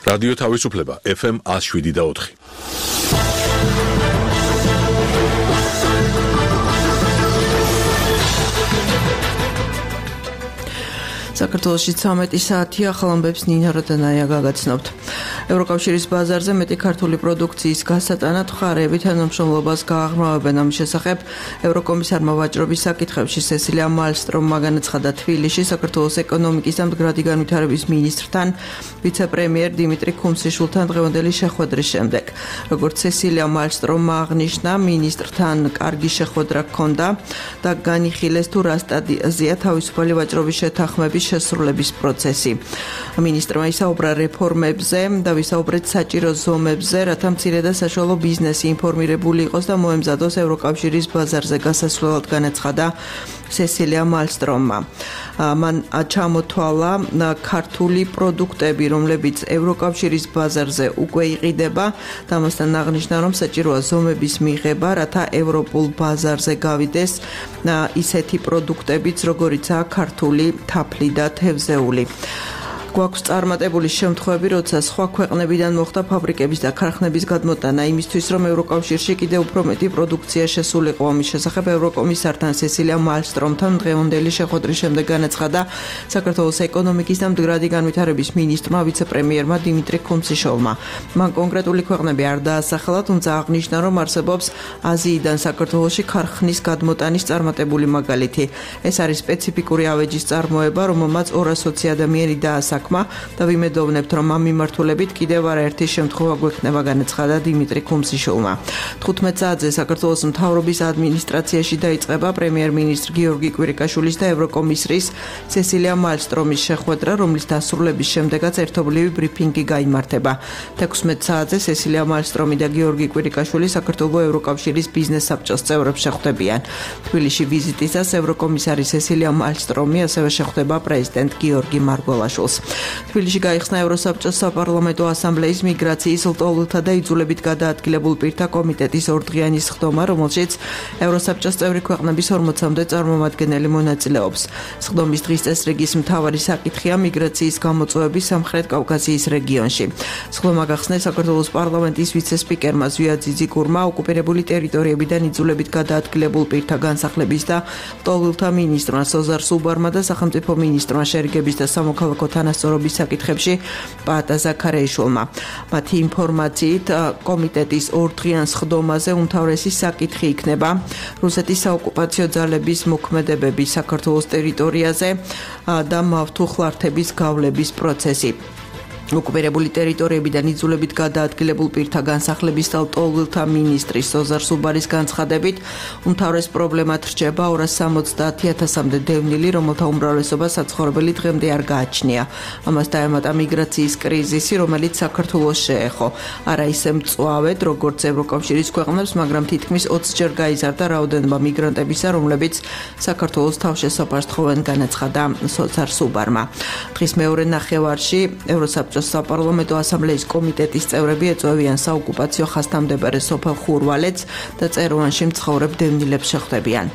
რადიო თავისუფლება FM 107.4. საქართველოში 13 საათია, ახალ ამბებს ნინა როდანაია გაგაცნობთ. ევროკავშირის ბაზარზე მეტი ქართული პროდუქციის გასატანად მხარეები თანამშრომლობას გააღრმავებენ. ამის შესახებ ევროკომისარმა ვაჭრობის საკითხებში სესილია მალსტრომმა განაცხადა თბილისში საქართველოს ეკონომიკის და მდგრადი განვითარების მინისტრთან, ვიცე-პრემიერ დიმიტრი ქუმსიშვილთან დღევანდელი შეხვედრის შემდეგ. როგორც სესილია მალსტრომმა აღნიშნა, მინისტრთან კარგი შეხვედრა ჰქონდა და განიხილეს თუ რა სტადიაზეა თავისუფალი ვაჭრობის შეთანხმების შესრულების პროცესი. მინისტრმა ისაუბრა რეფორმებზე და ვისაუბრეთ საჭირო ზომებზე, რათა მცირე და საშუალო ბიზნესი ინფორმირებული იყოს და მოემზადოს ევროკავშირის ბაზარზე გასასვლელად, განაცხადა სესილია მალსტრომმა. მან ჩამოთვალა ქართული პროდუქტები, რომლებიც ევროკავშირის ბაზარზე უკვე იყიდება და ამასთან აღნიშნა, რომ საჭიროა ზომების მიღება, რათა ევროპულ ბაზარზე გავიდეს ისეთი პროდუქტებიც, როგორიცაა ქართული თაფლი და თევზეული. გვაქვს წარმატებული შემთხვევები, როცა სხვა ქვეყნებიდან მოხდა ფაბრიკების და ქარხნების გადმოტანა იმისთვის, რომ ევროკავშირში კიდევ უფრო მეტი პროდუქცია შესულიყო. ამის შესახებ ევროკომისართან სესილია მალსტრომთან დღევანდელი შეხვედრის შემდეგ განაცხადა საქართველოს ეკონომიკის და მდგრადი განვითარების მინისტრმა ვიცე-პრემიერმა დიმიტრი ქუმსიშვილმა. მან კონკრეტული ქვეყნები არ დაასახელა, თუმცა აღნიშნა, რომ არსებობს აზიიდან საქართველოში ქარხნის გადმოტანის წარმატებული მაგალითი. ეს არის სპეციფიკური ავეჯის წარმოება, რომელმაც 200 ადამიანი დაასახელა და ვიმედოვნებთ, რომ ამ მიმართულებით კიდევ არაერთი შემთხვევა გვექნება, განაცხადა დიმიტრი ქუმსიშვილმა. 15 საათზე საქართველოს მთავრობის ადმინისტრაციაში დაიწყება პრემიერ-მინისტრ გიორგი კვირიკაშვილის და ევროკომისრის სესილია მალსტრომის შეხვედრა, რომლის დასრულების შემდეგაც ერთობლივი ბრიფინგი გაიმართება. 16 საათზე სესილია მალსტრომი და გიორგი კვირიკაშვილი საქართველოს ევროკავშირის ბიზნეს საბჭოს წევრებს შეხვდებიან. თბილისში ვიზიტისას ევროკომისარი სესილია მალსტრომი ასევე შეხვდება პრეზიდენტ გიორგი მარგველაშვილს. თბილისში გაიხსნა ევროსაბჭოს საპარლამენტო ასამბლეის მიგრაციის, ლტოლვილთა და იძულებით გადაადგილებულ პირთა კომიტეტის ორდღიანი სხდომა, რომელშიც ევროსაბჭოს წევრი ქვეყნების 40-მდე წარმომადგენელი მონაწილეობს. სხდომის დღის წესრიგის მთავარი საკითხია მიგრაციის გამოწვევები სამხრეთ კავკასიის რეგიონში. სხდომა გახსნეს საქართველოს პარლამენტის ვიცე-სპიკერმა ზვია ძიძიგურმა, ოკუპირებული ტერიტორიებიდან იძულებით გადაადგილებულ პირთა განსახლების და ლტოლვილთა მინისტრმა სოზარ სუბარმა და სახელმწიფო მინისტრმა შერიგების და სამოქალაქო თანასწორობის საკითხებში პაატა ზაქარეიშვილმა. მათი ინფორმაციით, კომიტეტის ორდღიან სხდომაზე უმთავრესი საკითხი იქნება რუსეთის საოკუპაციო ძალების მოქმედებები საქართველოს ტერიტორიაზე და მავთუხლართების გავლების პროცესი. ოკუპირებული ტერიტორიებიდან იძულებით გადაადგილებულ პირთა განსახლების და ლტოლვილთა მინისტრის სოზარ სუბარის განცხადებით, უმთავრეს პრობლემად რჩება 270,000-მდე დევნილი, რომელთა უმრავლესობა საცხოვრებელი დღემდე არ გააჩნია. ამას დაემატა მიგრაციის კრიზისი, რომელიც საქართველოს შეეხო. არა ისე მწვავედ, როგორც ევროკავშირის ქვეყნებს, მაგრამ თითქმის 20-ჯერ გაიზარდა რაოდენობა მიგრანტებისა, რომლებიც საქართველოს თავშესაფარს თხოვენ, განაცხადა სოზარ სუბარმა. დღის მეორე ნახევარში ევროსაბჭოს საპარლამენტო ასამბლეის კომიტეტის წევრები ეწევიან საოკუპაციო ხასთამდებარე სოფელ ხურვალეთს და წეროვანში მცხოვრებ დევნილებს შეხვდებიან.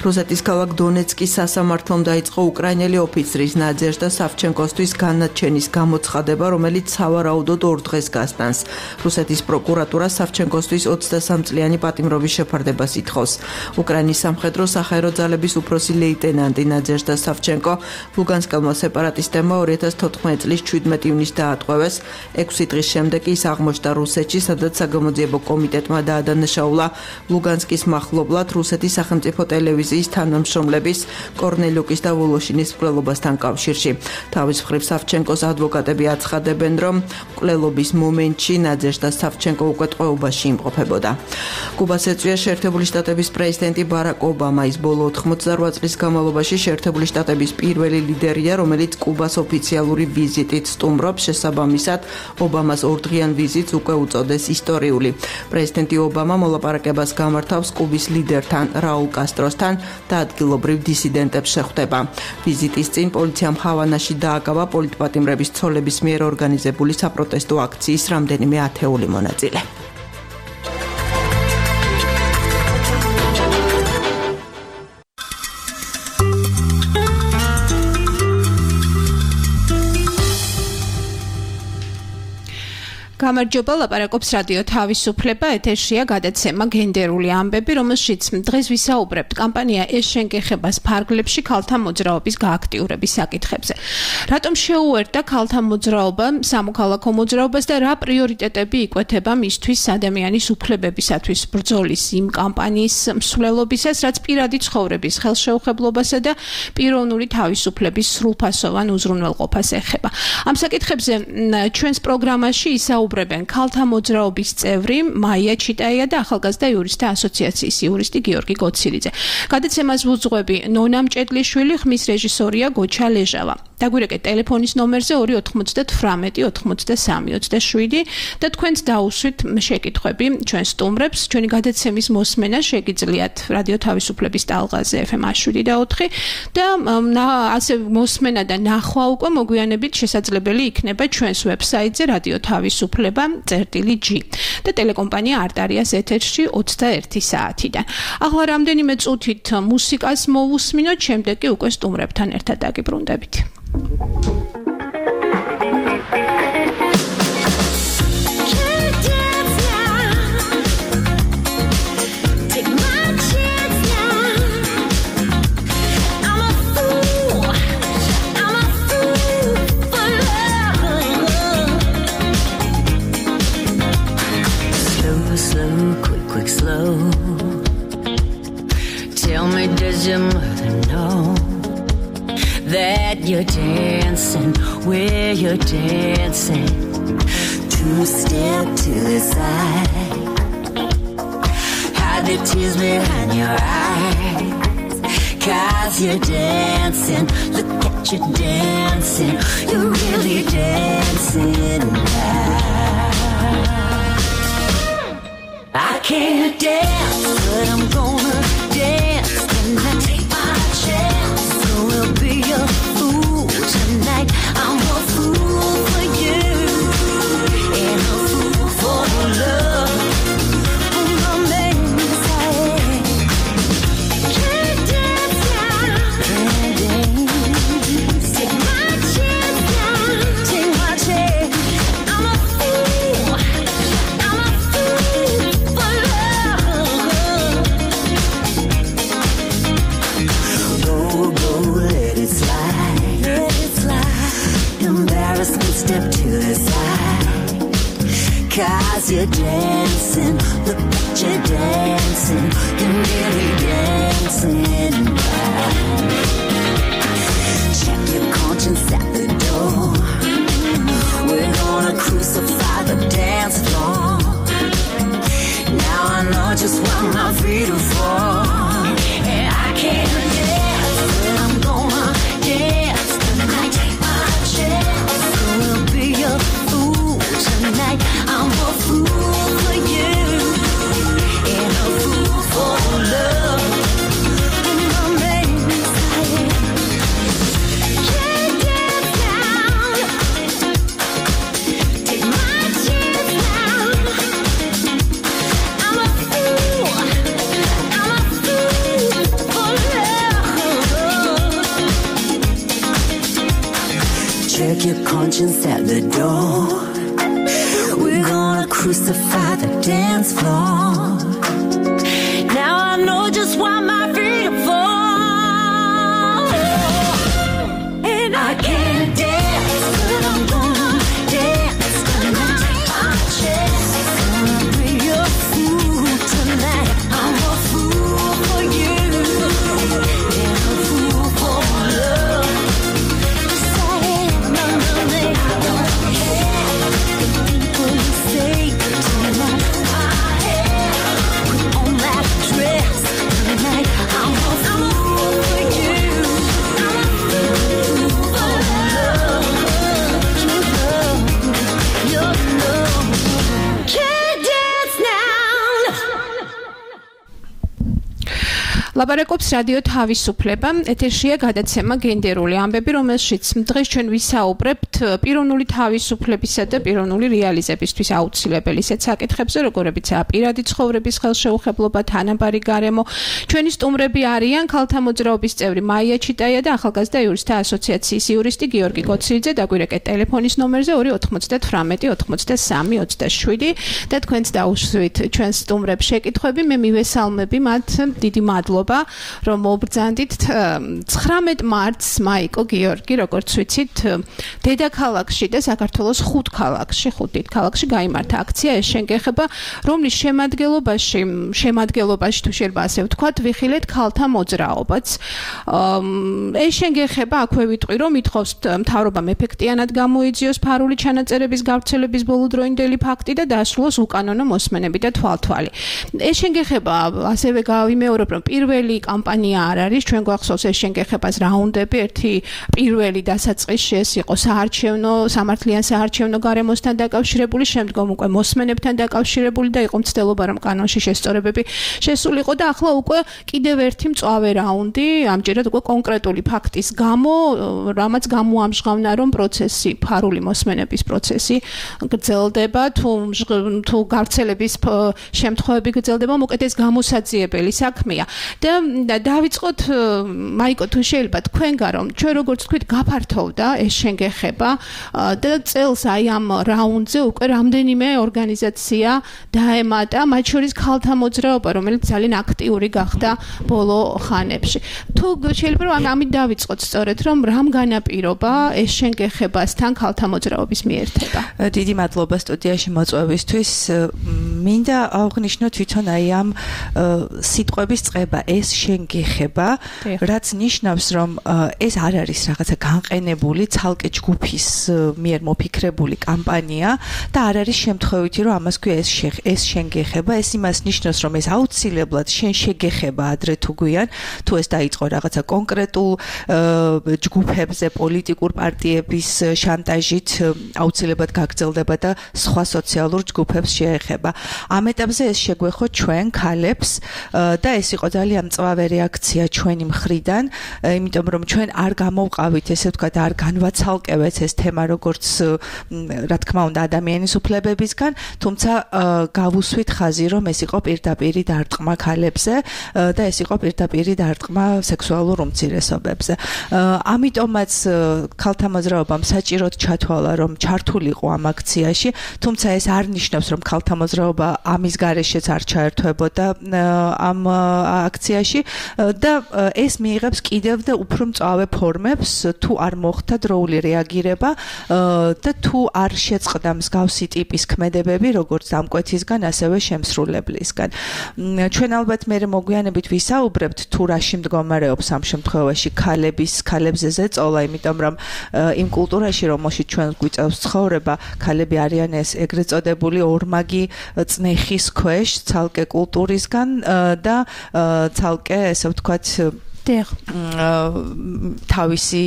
რუსეთის ქალაქ დონეცკის სასამართლომ დაიწყო უკრაინელი ოფიცრის ნაძეჟდა სავჩენკოსთვის განაჩენის გამოცხადება, რომელიც სავარაუდოდ 2 დღეს გასტანს. რუსეთის პროკურატურა სავჩენკოსთვის 23 წლიანი პატიმრობის შეფარდებას ითხოვს. უკრაინის სამხედრო საჰაერო ძალების უფროსი ლეიტენანტი ნაძეჟდა სავჩენკო ლუგანსკელმა სეპარატისტებმა 2014 წლის 17 ივნისს დაატყვევეს. 6 დღის შემდეგ ის აღმოჩნდა რუსეთში, სადაც საგამოძიებო კომიტეტმა დაადანაშაულა ლუგანსკის მახლობლად რუსეთის სახელმწიფო ტელევიზიის თანამშრომლების კორნელიუკის და ვოლოშინის მკვლელობასთან კავშირში. თავის მხრივ სავჩენკოს ადვოკატები აცხადებენ, რომ მკვლელობის მომენტში ნაძეჟდა სავჩენკო უკვე ტყვეობაში იმყოფებოდა. კუბას ეწვია შეერთებული შტატების პრეზიდენტი ბარაკ ობამა. ის ბოლო 88 წლის განმავლობაში შეერთებული შტატების პირველი ლიდერია, რომელიც კუბას ოფიციალური ვიზიტით სტუმრობს. შესაბამისად, ობამას ორდღიან ვიზიტს უკვე უწოდეს ისტორიული. პრეზიდენტი ობამა მოლაპარაკებას გამართავს კუბის ლიდერთან რაულ კასტროსთან და ადგილობრივ დისიდენტებს შეხვდება. ვიზიტის წინ პოლიციამ ჰავანაში დააკავა პოლიტპატიმრების ცოლების მიერ ორგანიზებული საპროტესტო აქციის რამდენიმე ათეული მონაწილე. გამარჯობა, ლაპარაკობს რადიო თავისუფლება, ეთერშია გადაცემა გენდერული ამბები, რომელშიც დღეს ვისაუბრებთ კამპანია ეს შენგეხებას ფარგლებში ქალთა მოძრაობის გააქტიურების საკითხებზე. რატომ შეუერთდა ქალთა მოძრაობა სამოქალაქო მოძრაობას და რა პრიორიტეტები იკვეთება მისთვის ადამიანის უფლებებისათვის ბრძოლის იმ კამპანიის მსვლელობისას, რაც პირადი ცხოვრების ხელშეუხებლობასა და პიროვნული თავისუფლების სრულფასოვან უზრუნველყოფას ეხება. ამ საკითხებზე ჩვენს პროგრამაში ისაუბრებენ ქალთა მოძრაობის წევრი მაია ჩიტაია და ახალგაზრდა იურისტთა ასოციაციის იურისტი გიორგი გოცილიძე. გადაცემას ვუძღვები ნონა მჭედლიშვილი, ხმის რეჟისორია გოჩა ლეჟავა. დაგვირეკეთ ტელეფონის ნომერზე 298 83 27 და თქვენც დაუსვით შეკითხვები ჩვენ სტუმრებს. ჩვენი გადაცემის მოსმენა შეგიძლიათ რადიო თავისუფლების ტალღაზე FM 107.4 და ასე მოსმენა და ნახვა უკვე მოგვიანებით შესაძლებელი იქნება ჩვენს ვებსაიტზე რადიო თავისუფლება.g და ტელეკომპანია არტარიას ეთერში 21 საათიდან. ახლა რამდენიმე წუთით მუსიკას მოვუსმინოთ, შემდეგ კი უკვე სტუმრებთან ერთად დაგიბრუნდებით. Slow. Tell me, does your mother know that you're dancing where you're dancing? Two step to the side, hide the tears behind your eyes, 'cause you're dancing. Look at you dancing, you're really dancing now. I can't dance, but I'm gonna dance tonight. Take my chance, gonna be a fool tonight. I'm a fool for you, and a fool for love. My name's can't dance now. Can't dance. Take my chance now. Take my chance. I'm a fool. I'm a fool. Step to the side, 'cause you're dancing. Look at you dancing, you're really dancing now. Check your conscience at the door. We're gonna crucify the dance floor. Now I know just what my feet are for. And I can't dance, but I'm gonna dance tonight. Take my chance. Be a fool tonight. I'm a fool for you, and a fool for love. My name's can't dance now. Take my chance now. I'm a fool. I'm a fool for love. Check your conscience at the door. We're gonna crucify the dance floor. Now I know just why my feet are for. And I can't dance, but I'm gonna dance tonight. Take my chance, gonna be a fool tonight. I'm a fool for you, and a fool for love. I don't care the people you say tonight. ლაპარაკობს რადიო თავისუფლება. ეთერშია გადაცემა გენდერული ამბები, რომელშიც დღეს ჩვენ ვისაუბრებთ პიროვნული თავისუფლებისა და პიროვნული რეალიზებისთვის აუცილებელი ისეთ საკითხებზე, როგორებიცაა პირადი ცხოვრების ხელშეუხებლობა, თანაბარი გარემო. ჩვენი სტუმრები არიან ქალთა მოძრაობის წევრი მაია ჩიტაია და ახალგაზრდა იურისტთა ასოციაციის იურისტი გიორგი კოცილიძე. დაგვირეკეთ ტელეფონის ნომერზე 298 83 27 და თქვენც დაუშვით ჩვენს სტუმრებს შეკითხვები. მე მივესალმები მათ. დიდი მადლობა, რომ მობრძანდით. 19 მარტს მაიკო გიორგი, როგორც ვიცით, დედაქალაქში და საქართველოს 5 ქალაქში, 5 დიდ ქალაქში გაიმართა აქცია ეს შენგეხება, რომლის შემადგენლობაში თუ შეიძლება ასე ვთქვათ, ვიხილეთ ქალთა მოძრაობაც. ეს შენგეხება აქვე ვიტყვი, რომ ითხოვს მთავრობამ ეფექტიანად გამოიძიოს ფარული ჩანაწერების გავრცელების ბოლოდროინდელი ფაქტი და დასრულოს უკანონო მოსმენები და თვალთვალი. ეს შენგეხება ასევე გავიმეორებ, რომ პირველი კამპანია არ არის, ჩვენ გვახსოვს ეს შენგეხებას რაუნდები, ერთი პირველი დასაწყისში ეს იყო სამართლიან საარჩევნო გარემოსთან დაკავშირებული, შემდგომ უკვე მოსმენებთან დაკავშირებული და იყო მცდელობა, რომ კანონში შესწორებები შესულიყო და ახლა უკვე კიდევ ერთი მწვავე რაუნდი, ამჯერად უკვე კონკრეტული ფაქტის გამო, რამაც გამოამჟღავნა, რომ პროცესი, ფარული მოსმენების პროცესი გრძელდება, თუ გავრცელების შემთხვევები გრძელდება, მოკლედ ეს გამოსაძიებელი საქმეა. და დავიწყოთ მაიკო, თუ შეიძლება თქვენგან, რომ ჩვენ როგორც თქვით გაფართოვდა ეს შენგეხება და წელს აი ამ რაუნდზე უკვე რამდენიმე ორგანიზაცია დაემატა, მათ შორის ქალთა მოძრაობა, რომელიც ძალიან აქტიური გახდა ბოლო ხანებში. თუ შეიძლება რომ ამით დავიწყოთ სწორედ, რომ რამ განაპირობა ეს შენგეხებასთან ქალთა მოძრაობის მიერთება. დიდი მადლობა სტუდიაში მოწვევისთვის. მინდა აღვნიშნო თვითონ აი ამ სიტყვების წყება ეს შენგეხება, რაც ნიშნავს, რომ ეს არ არის რაღაცა განყენებული ცალკე ჯგუფის მიერ მოფიქრებული კამპანია და არ არის შემთხვევითი, რომ ამას ქვია ეს შენგეხება. ეს იმას ნიშნავს, რომ ეს აუცილებლად შენ შეგეხება ადრე თუ გვიან, თუ ეს დაიწყო რაღაცა კონკრეტულ ჯგუფებზე, პოლიტიკურ პარტიების შანტაჟით აუცილებლად გაგრძელდება და სხვა სოციალურ ჯგუფებს შეეხება. ამ ეტაპზე ეს შეგვეხო ჩვენ ქალებს და ეს იყო ძალიან მწვავე რეაქცია ჩვენი მხრიდან, იმიტომ რომ ჩვენ არ გამოვყავით, ესე ვთქვათ, არ განვაცალკევეთ ეს თემა როგორც რა თქმა უნდა ადამიანის უფლებებისგან, თუმცა გავუსვით ხაზი, რომ ეს იყო პირდაპირი დარტყმა ქალებზე და ეს იყო პირდაპირი დარტყმა სექსუალურ უმცირესობებზე. ამიტომაც ქალთა მოძრაობამ საჭიროდ ჩათვალა, რომ ჩართულიყო ამ აქციაში, თუმცა ეს არ ნიშნავს, რომ ქალთა მოძრაობა ამის გარეშეც არ ჩაერთვებოდა ამ აქციაში და ეს მიიღებს კიდევ და უფრო მწვავე ფორმებს, თუ არ მოხდა დროული რეაგირება და თუ არ შეწყდა მსგავსი ტიპის ქმედებები, როგორც დამკვეთისგან, ასევე შემსრულებლისგან. ჩვენ ალბათ მე მოგვიანებით ვისაუბრებთ, თუ რაში მდგომარეობს ამ შემთხვევაში ქალებზე ზეწოლა, იმიტომ რომ იმ კულტურაში, რომელშიც ჩვენ გვიწევს ცხოვრება, ქალები არიან ეს ეგრეთ წოდებული ორმაგი წნეხის ქვეშ, ცალკე კულტურისგან და ცალკე, ესე ვთქვათ, თავისი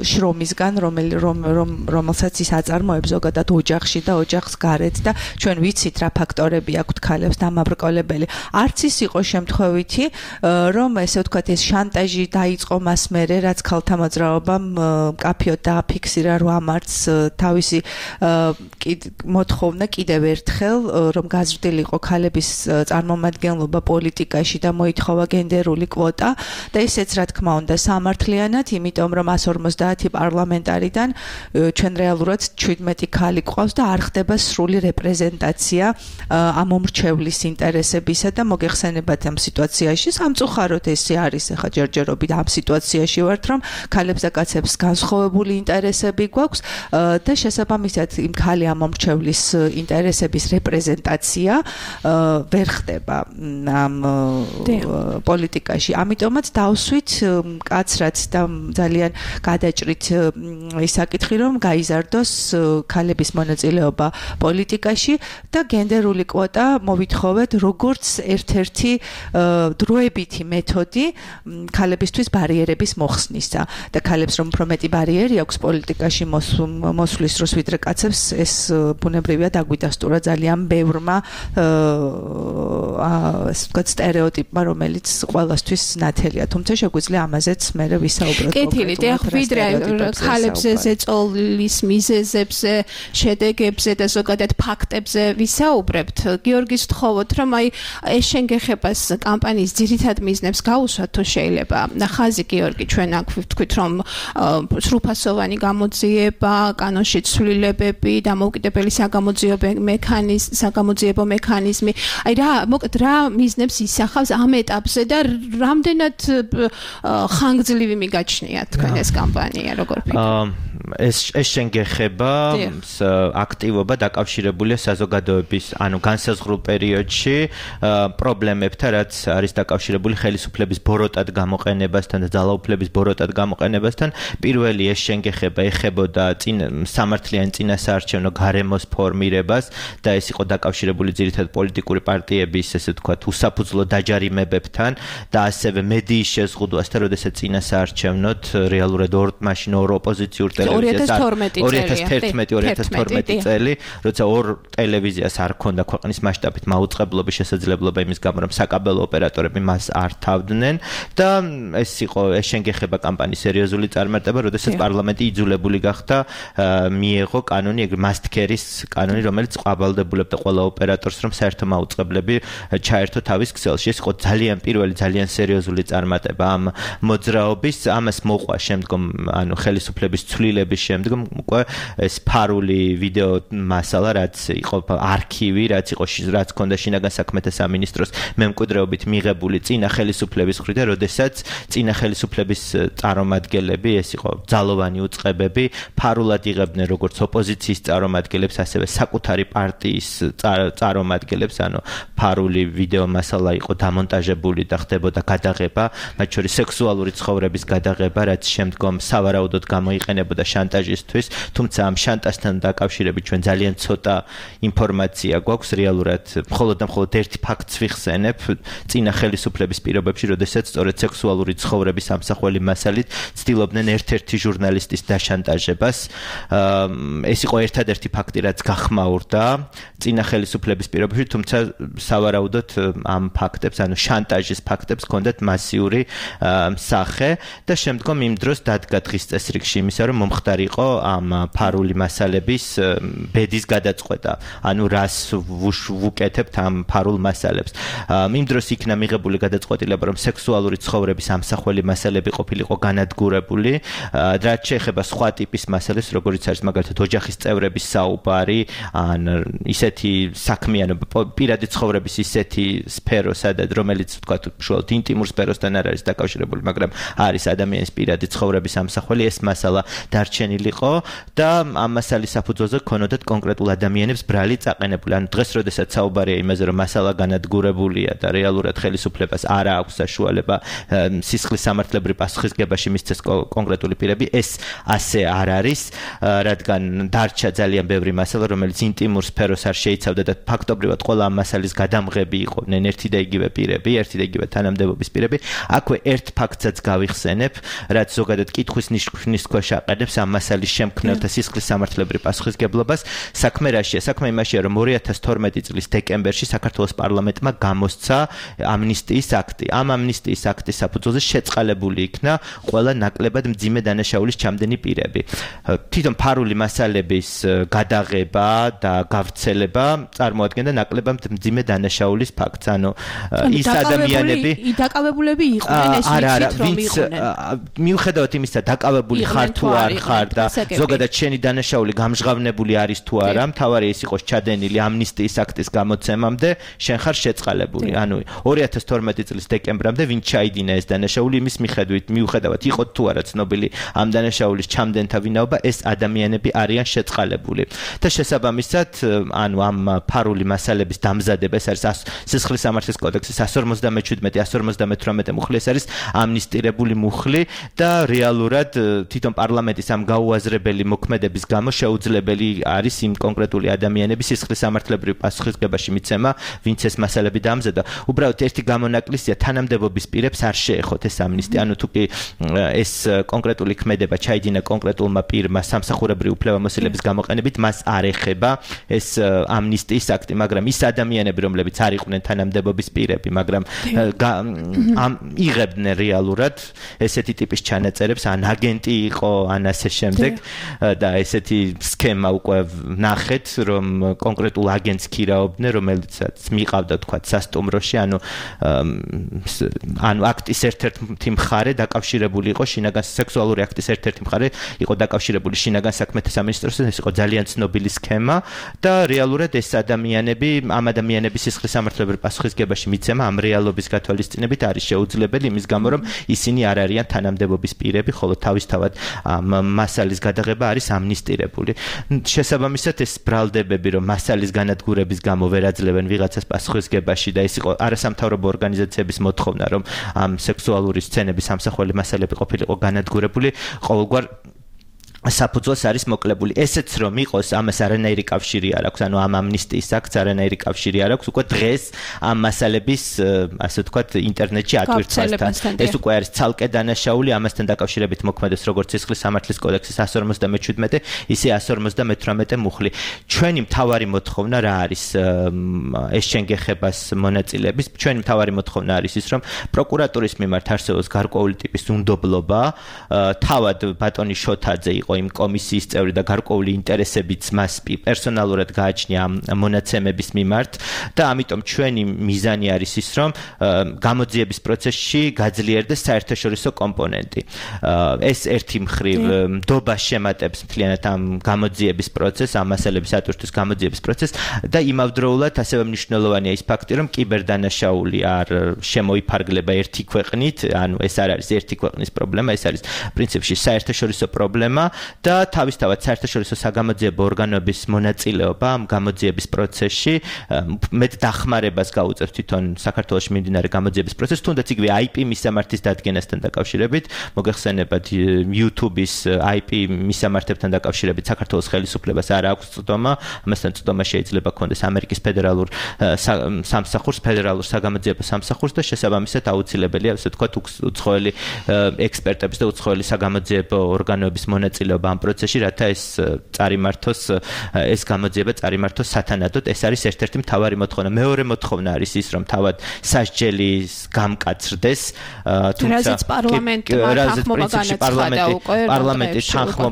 შრომისგან, რომელსაც ის აწარმოებს ზოგადად ოჯახში და ოჯახს გარეთ და ჩვენ ვიცით რა ფაქტორები აქვთ ქალებს დამაბრკოლებელი. არც ის იყო შემთხვევითი, რომ ესე ვთქვათ ეს შანტაჟი დაიწყო მას მერე, რაც ქალთა მოძრაობამ მკაფიოდ დააფიქსირა 8 მარტს თავისი მოთხოვნა კიდევ ერთხელ, რომ გაზრდილიყო ქალების წარმომადგენლობა პოლიტიკაში და მოითხოვა გენდერული კვოტა. და ისეც რა თქმა უნდა სამართლიანად, იმიტომ რომ 150 პარლამენტარიდან ჩვენ რეალურად 17 ქალი გვყავს და არ ხდება სრული რეპრეზენტაცია ამ მომრჩევლის ინტერესებისა და მოგეხსენებათ ამ სიტუაციაში სამწუხაროდ ესე არის ახლა ჯერჯერობით ამ სიტუაციაში ვართ, რომ ქალებს და კაცებს განსხვავებული ინტერესები გვაქვს და შესაბამისად იმ ქალი ამ მომრჩევლის ინტერესების რეპრეზენტაცია ვერ ხდება ამ პოლიტიკაში. ამიტომაც დავსვით კაცრად და ძალიან გადაჭრით ის საკითხი, რომ გაიზარდოს ქალების მონაწილეობა პოლიტიკაში და გენდერული კვოტა მოვითხოვეთ როგორც ერთ-ერთი დროებითი მეთოდი ქალებისთვის ბარიერების მოხსნისა და ქალებს რომ უფრო მეტი ბარიერი აქვს პოლიტიკაში მოსვლის დროს ვიდრე კაცებს ეს ბუნებრივია დაგვიდასტურა ძალიან ბევრმა ასე ვთქვათ სტერეოტიპმა რომელიც ყველასთვის ნათელია თუმცა შეგვიძლია ამაზეც მე ვისაუბროთ კეთილით ეხ ვიდრე ქალებზე ზეწოლის მიზეზებზე შედეგებზე და ზოგადად ფაქტებზე ვისაუბრებთ გიორგის ვთხოვოთ რომ აი ეს შენგეხებას კამპანიის ძირითად მიზნებს გაუსვათ თუ შეიძლება ხაზი გიორგი ჩვენ აქ ვთქვით რომ სრულფასოვანი გამოძიება კანონში ცვლილებები დამოუკიდებელი საგამოძიებო მექანიზმი აი რა მიზნებს ისახავს ამ ეტაპზე და რამდენად ხანგრძლივი მიგაჩნიათ თქვენ ეს კამპანია როგორ ფიქრობთ ეს შენგეხება აქტივობა დაკავშირებულია საზოგადოების ანუ განსაზღვრულ პერიოდში პრობლემებთან რაც არის დაკავშირებული ხელისუფლების ბოროტად გამოყენებასთან და ძალაუფლების ბოროტად გამოყენებასთან პირველი ეს შენგეხება ეხებოდა სამართლიანი წინასაარჩევნო გარემოს ფორმირებას და ეს იყო დაკავშირებული ძირითადად პოლიტიკური პარტიების ესე ვთქვათ უსაფუძვლო დაჯარიმებებთან და ასევე მედიის შეზღუდვასთან როდესაც წინასაარჩევნოთ რეალურად მაშინ ორ ოპოზიციურ ტელევიზიას 2011-2012 წელი როცა ორ ტელევიზიას არ ქონდა ქვეყნის მასშტაბით მაუწყებლობის შესაძლებლობა იმის გამო რომ საკაბელო ოპერატორები მას არ თავდნენ და ეს იყო ეს შენგეხება კამპანიის სერიოზული წარმატება როდესაც პარლამენტი იძულებული გახდა მიეღო კანონი მასტკერის კანონი რომელიც ყვავალდებულებდა ყველა ოპერატორს რომ საერთო მაუწყებლები ჩაერთო თავის ქსელში ეს იყო ძალიან პირველი ძალიან სერიოზული წარმატება ამ მოძრაობის ამას მოყვა შემდგომ ანუ ხელისუფლების ცვლილების შემდგომ უკვე ეს ფარული ვიდეო მასალა რაც იყო არქივი რაც იყო რაც ქონდა შინაგან საქმეთა სამინისტროს მემკვიდრეობით მიღებული წინა ხელისუფლების მხრიდან როდესაც წინა ხელისუფლების წარმომადგენლები ეს იყო ძალოვანი უწყებები ფარულად იღებდნენ როგორც ოპოზიციის წარმომადგენლებს ასევე საკუთარი პარტიის წარმომადგენლებს ანუ ფარული ვიდეო მასალა იყო დამონტაჟებული და ხდებოდა გადაღება მათ შორის სექსუალური ცხოვრების გადაღება რაც შემდგომ სავარაუდოდ გამოიყენებოდა შანტაჟისთვის თუმცა ამ შანტაჟთან დაკავშირებით ჩვენ ძალიან ცოტა ინფორმაცია გვაქვს რეალურად მხოლოდ და მხოლოდ ერთი ფაქტს ვიხსენებ წინა ხელისუფლების პირობებში როდესაც სწორედ სექსუალური ცხოვრების ამსახველი მასალით ცდილობდნენ ერთ-ერთი ჟურნალისტის დაშანტაჟებას ეს იყო ერთადერთი ფაქტი რაც გახმაურდა წინა ხელისუფლების პირობებში თუმცა სავარაუდოდ ამ ფაქტებს ანუ შანტაჟის ფაქტებს ჰქონდათ მასიური სახე და შემდგომ იმ დროს დადგა დღის წესრიგში იმისა რომ მომხდარიყო ამ ფარული მასალების ბედის გადაწყვეტა ანუ რას ვუკეთებთ ამ ფარულ მასალებს იმ დროს იქნა მიღებული გადაწყვეტილება რომ სექსუალური ცხოვრების ამსახველი მასალები ყოფილიყო განადგურებული რაც შეეხება სხვა ტიპის მასალებს როგორიც არის მაგალითად ოჯახის წევრების საუბარი ან ისეთი საქმიანობა პირადი ცხოვრების ისეთი სფერო სადაც რომელიც ვთქვათ უშუალოდ ინტიმურ სფეროსთან არ არის დაკავშირებული მაგრამ არის ადამიანის პირადი ცხოვრების ამსახველი ეს მასალა დარჩენილიყო და ამ მასალის საფუძველზე ქონოდათ კონკრეტულ ადამიანებს ბრალი წაყენებული ანუ დღეს როდესაც საუბარია იმაზე რომ მასალა განადგურებულია და რეალურად ხელისუფლებას არ აქვს საშუალება სისხლის სამართლებრივ პასუხისგებაში მისცეს კონკრეტული პირები ეს ასე არ არის რადგან დარჩა ძალიან ბევრი მასალა რომელიც ინტიმურ სფეროს არ შეიცავდა და ფაქტობრივად ყველა ამ მასალის გადამღები იყვნენ ერთი და იგივე პირები ერთი და იგივე თანამდებობის პირები აქვე ერთ ფაქტსაც გავიხსენებ რაც ზოგადად კითხვის ნიშნის ქვეშ აყენებს ამ მასალის შემქმნელთა სისხლის სამართლებრივ პასუხისგებლობას საქმე რაშია საქმე იმაშია რომ 2012 წლის დეკემბერში საქართველოს პარლამენტმა გამოსცა ამნისტიის აქტი ამ ამნისტიის აქტის საფუძველზე შეწყალებული იქნა ყველა ნაკლებად მძიმე დანაშაულის ჩამდენი პირები თვითონ ფარული მასალების გადაღება და გავრცელება წარმოადგენდა ნაკლებად მძიმე დანაშაულის ფაქტს ანუ ის ადამიანები დაკავებულები იყვნენ ეს ვიცით რომ იყვნენ მიუხედავად იმისა დაკავებული ხარ თუ არ ხარ ხარ და ზოგადად შენი დანაშაული გამჟღავნებული არის თუ არა, მთავარი ის იყოს ჩადენილი ამნისტიის აქტის გამოცემამდე, შენ ხარ შეწყალებული. ანუ 2012 წლის დეკემბრამდე ვინ ჩაიდინა ეს დანაშაული, იმის მიუხედავად იყო თუ არა ცნობილი ამ დანაშაულის ჩამდენთა ვინაობა, ეს ადამიანები არიან შეწყალებული. და შესაბამისად, ანუ ამ ფარული მასალების დამზადება, ეს არის სისხლის სამართლის კოდექსის 157-158 მუხლი, ეს არის ამნისტირებული მუხლი და რეალურად თვითონ პარლამენტის ამ გაუაზრებელი მოქმედების გამო შეუძლებელი არის იმ კონკრეტული ადამიანების სისხლის სამართლებრივ პასუხისგებაში მიცემა, ვინც ეს მასალები დამზადდა. უბრალოდ ერთი გამონაკლისია, თანამდებობის პირებს არ შეეხოთ ეს ამნისტია, ანუ თუ კი ეს კონკრეტული ქმედება ჩაიდინა კონკრეტულმა პირმა სამსახურებრივი უფლებამოსილების გამოყენებით, მას არ ეხება ეს ამნისტიის აქტი, მაგრამ ის ადამიანები, რომლებიც არ იყვნენ თანამდებობის პირები, მაგრამ იღებდნენ რეალურად ესეთი ტიპის ჩანაწერებს, ან აგენტი იყო, ან ასე შემდეგ და ესეთი სქემა უკვე ნახეთ, რომ კონკრეტულ აგენტს ქირაობდნენ, რომელიცაც მიყავდა თქვა სასტუმროში, ანუ აქტის ერთ-ერთი მხარე დაკავშირებული იყო შინაგან სექსუალური აქტის ერთ-ერთი მხარე იყო დაკავშირებული შინაგან საქმეთა სამინისტროსთან, ეს იყო ძალიან ცნობილი სქემა და რეალურად ეს ადამიანები, ამ ადამიანების სისხლის სამართლებრივ პასუხისგებაში მიცემა ამ რეალობის გათვალისწინებით არის შეუძლებელი იმის გამო, რომ ისინი არ არიან თანამდებობის პირები, ხოლო თავისთავად მასალის გადაღება არის ამნისტირებული. შესაბამისად ეს ბრალდებები, რომ მასალის განადგურების გამო ვერ აძლევენ ვიღაცას პასუხისგებაში და ეს იყო არასამთავრობო ორგანიზაციების მოთხოვნა, რომ ამ სექსუალური სცენების სამსახველი მასალები ყოფილიყო განადგურებული, ყოველგვარ საფუძველს არის მოკლებული. ესეც რომ იყოს, ამას არანაირი კავშირი არ აქვს, ანუ ამ ამნისტიის აქტს არანაირი კავშირი არ აქვს, უკვე დღეს ამ მასალების, ასე ვთქვათ, ინტერნეტში ატვირთვასთან. ეს უკვე არის ცალკე დანაშაული, ამასთან დაკავშირებით მოქმედებს როგორც სისხლის სამართლის კოდექსის 157, ისე 158 მუხლი. ჩვენი მთავარი მოთხოვნა რა არის ეს შენგეხებას მონაწილეების? ჩვენი მთავარი მოთხოვნა არის ის, რომ პროკურატურის მიმართ არსებობს გარკვეული ტიპის უნდობლობა, თავად ბატონი შოთაძე იყო იმ კომისიის წევრი და გარკვეული ინტერესებიც მას პერსონალურად გააჩნია მონაცემების მიმართ და ამიტომ ჩვენი მიზანი არის ის, რომ გამოძიების პროცესში გაძლიერდეს საერთაშორისო კომპონენტი. ეს ერთი მხრივ ნდობას შემატებს მთლიანად ამ გამოძიების პროცესს, ამ მასალების ატვირთვის გამოძიების პროცესს და იმავდროულად ასევე მნიშვნელოვანია ის ფაქტი, რომ კიბერდანაშაული არ შემოიფარგლება ერთი ქვეყნით, ანუ ეს არ არის ერთი ქვეყნის პრობლემა, ეს არის პრინციპში საერთაშორისო პრობლემა და თავისთავად საერთაშორისო საგამოძიებო ორგანოების მონაწილეობა ამ გამოძიების პროცესში მეტ დახმარებას გაუწევს თვითონ საქართველოში მიმდინარე გამოძიების პროცესს, თუნდაც იგივე IP მისამართის დადგენასთან დაკავშირებით, მოგეხსენებათ YouTube-ის IP მისამართებთან დაკავშირებით საქართველოს ხელისუფლებას არ აქვს წვდომა, ამასთან წვდომა შეიძლება ქონდეს ამერიკის ფედერალურ სამსახურს, ფედერალურ საგამოძიებო სამსახურს და შესაბამისად აუცილებელია, ასე ვთქვათ, უცხოელი ექსპერტების და უცხოელი საგამოძიებო ორგანოების მონაწილეობა ამ პროცესში, რათა ეს წარიმართოს, ეს გამოძიება წარიმართოს სათანადოდ. ეს არის ერთ-ერთი მთავარი მოთხოვნა. მეორე მოთხოვნა არის ის, რომ თავად სასჯელი გამკაცრდეს, თუმცა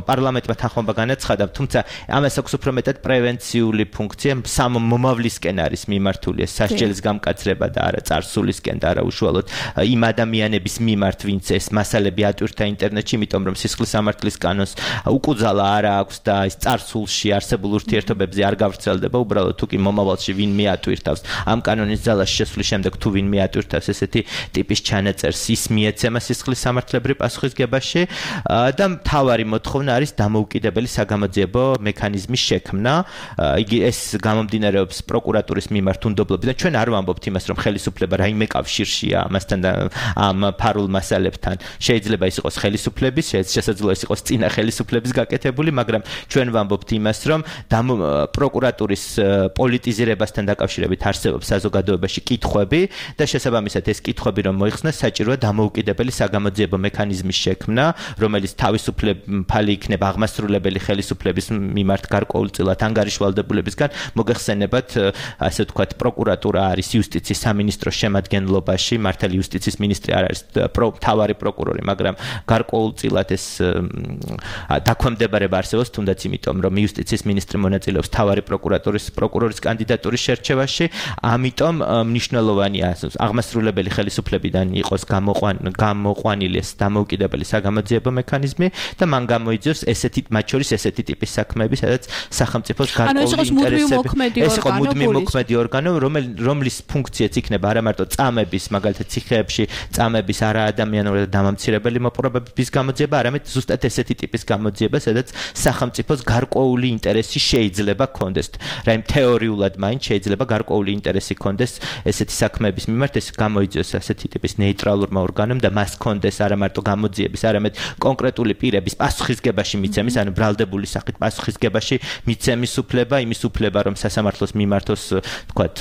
პარლამენტმა თანხმობა განაცხადა, თუმცა ამას აქვს უფრო მეტად პრევენციული ფუნქცია, მომავლისკენ არის მიმართული ეს სასჯელის გამკაცრება და არა წარსულისკენ და არა უშუალოდ იმ ადამიანების მიმართ, ვინც ეს მასალები ატვირთა ინტერნეტში, იმიტომ რომ სისხლის სამართლის კანონს უკუძალა არა აქვს და ის წარსულში არსებულ ურთიერთობებზე არ გავრცელდება, უბრალოდ თუ კი მომავალში ვინმე ატვირთავს ამ კანონის ძალაში შესვლის შემდეგ თუ ვინმე ატვირთავს ესეთი ტიპის ჩანაწერს, ის მიეცემა სისხლის სამართლებრივ პასუხისგებაში და მთავარი მოთხოვნა არის დამოუკიდებელი საგამოძიებო მექანიზმის შექმნა. იგი ეს გამომდინარეობს პროკურატურის მიმართ უნდობლობიდან. ჩვენ არ ვამბობთ იმას, რომ ხელისუფლება რაიმე კავშირშია ამასთან და ამ ფარულ მასალებთან. შეიძლება ის იყოს ხელისუფლების, შესაძლოა ის იყოს წინა ხელისუფლების გაკეთებული, მაგრამ ჩვენ ვამბობთ იმას, რომ პროკურატურის პოლიტიზირებასთან დაკავშირებით არსებობს საზოგადოებაში კითხვები და შესაბამისად ეს კითხვები რომ მოიხსნას, საჭიროა დამოუკიდებელი საგამოძიებო მექანიზმის შექმნა, რომელიც თავისუფლებელი იქნება აღმასრულებელი ხელისუფლების მიმართ გარკვეულწილად ანგარიშვალდებულებისგან. მოგეხსენებათ, ასე ვთქვათ, პროკურატურა არის იუსტიციის სამინისტროს შემადგენლობაში, მართალი იუსტიციის მინისტრი არ არის მთავარი პროკურორი, მაგრამ გარკვეულწილად ეს დაქვემდებარება არსებობს თუნდაც იმიტომ რომ იუსტიციის მინისტრი მონაწილეობს მთავარი პროკურორის კანდიდატურის შერჩევაში, ამიტომ მნიშვნელოვანია აღმასრულებელი ხელისუფლებიდან იყოს გამოყვანილი ეს დამოუკიდებელი საგამოძიებო მექანიზმი და მან გამოიძიოს მათ შორის ესეთი ტიპის საქმეები, სადაც სახელმწიფოს გარკვეული ინტერესები ეს იყო მუდმივი მოქმედი ორგანო, რომლის ფუნქციაც იქნება არა მარტო წამების, მაგალითად ციხეებში წამების არაადამიანური და დამამცირებელი მოპყრობების გამოძიება, არამედ ზუსტად ესეთი ტიპის გამოძიება, სადაც სახელმწიფოს გარკვეული ინტერესი შეიძლება ქონდეს. რაიმ თეორიულად მაინც შეიძლება გარკვეული ინტერესი ქონდეს ესეთი საქმეების მიმართ, ეს გამოიძიოს ასეთი ტიპის ნეიტრალურმა ორგანომ და მას ქონდეს არა მარტო გამოძიების, არამედ კონკრეტული პირების პასუხისგებაში მიცემის, ანუ ბრალდებული სახით პასუხისგებაში მიცემის უფლება, იმის უფლება, რომ სასამართლოს მიმართოს, თქვათ,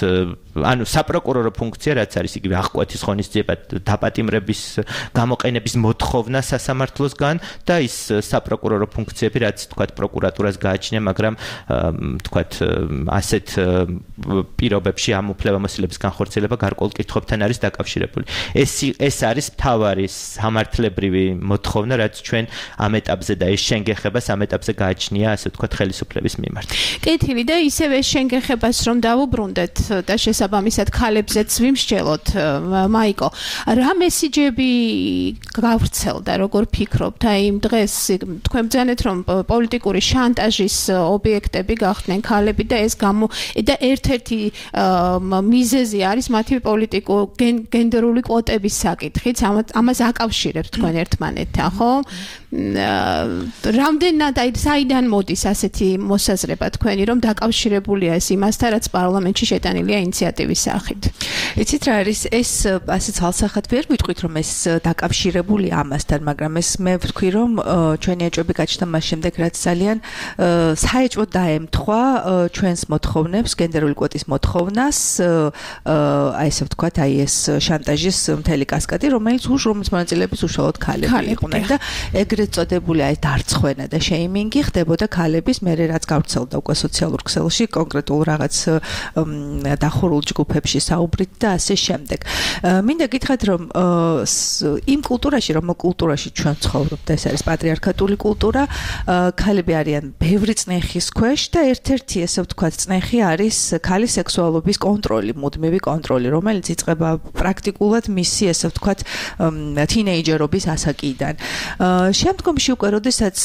ანუ საპროკურორო ფუნქცია, რაც არის იგივე აღკვეთის ღონისძიება, დაპატიმრების გამოყენების მოთხოვნა სასამართლოსგან და ის საპროკურორო ფუნქციები, რაც თქვათ პროკურატურას გააჩნია, მაგრამ თქვათ ასეთ პირობებში ამ უფლებამოსილების განხორციელება გარკვეულ კითხვებთან არის დაკავშირებული. ეს არის მთავარი სამართლებრივი მოთხოვნა, რაც ჩვენ ამ ეტაპზე და ეს შენგეხებას ამ ეტაპზე გააჩნია, ასე ვთქვათ, ხელისუფლების მიმართ. კეთილი და ისევე შენგეხებას რომ დავუბრუნდეთ და შესაბამისად ქალებზეც ვიმსჯელოთ, მაიკო, რა მესიჯები გავრცელდა, როგორ ფიქრობთ? აი იმ დღეს თქვენ ბრძანეთ, რომ პოლიტიკური შანტაჟის ობიექტები გახდნენ ქალები და ეს და ერთ-ერთი მიზეზი არის მათი გენდერული კვოტების საკითხიც, ამას აკავშირებთ თქვენ ერთმანეთთან, ხო? რამდენად საიდან მოდის ასეთი მოსაზრება თქვენი, რომ დაკავშირებულია ეს იმასთან, რაც პარლამენტში შეტანილია ინიციატივის სახით? იცით რა არის, ეს ასე ცალსახად ვერ ვიტყვით, რომ ეს დაკავშირებულია ამასთან, მაგრამ ეს მე ვთქვი, რომ ჩვენი ეჭვები გაჩნდა მას შემდეგ, რაც ძალიან საეჭვოდ დაემთხვა ჩვენს მოთხოვნებს, გენდერული კვოტის მოთხოვნას, აი ესე ვთქვათ, აი ეს შანტაჟის მთელი კასკადი, რომელიც მონაწილეების უშუალოდ ქალები იყვნენ და ეგრეთ წოდებული აი დარცხვენა და შეიმინგი ხდებოდა ქალების, მერე რაც გავრცელდა უკვე სოციალურ ქსელში, კონკრეტულ რაღაც დახურულ ჯგუფებში საუბრით და ასე შემდეგ. მინდა გითხრათ, რომ იმ კულტურაში, კულტურაში ჩვენ ცხოვრობთ, ეს არის პატრიარქატული კულტურა, ქალები არიან ბევრი წნეხის ქვეშ და ერთ-ერთი ესე ვთქვათ წნეხი არის ქალის სექსუალობის კონტროლი, მუდმივი კონტროლი, რომელიც იწყება პრაქტიკულად მისი ესე ვთქვათ თინეიჯერობის ასაკიდან. შემდგომში უკვე როდესაც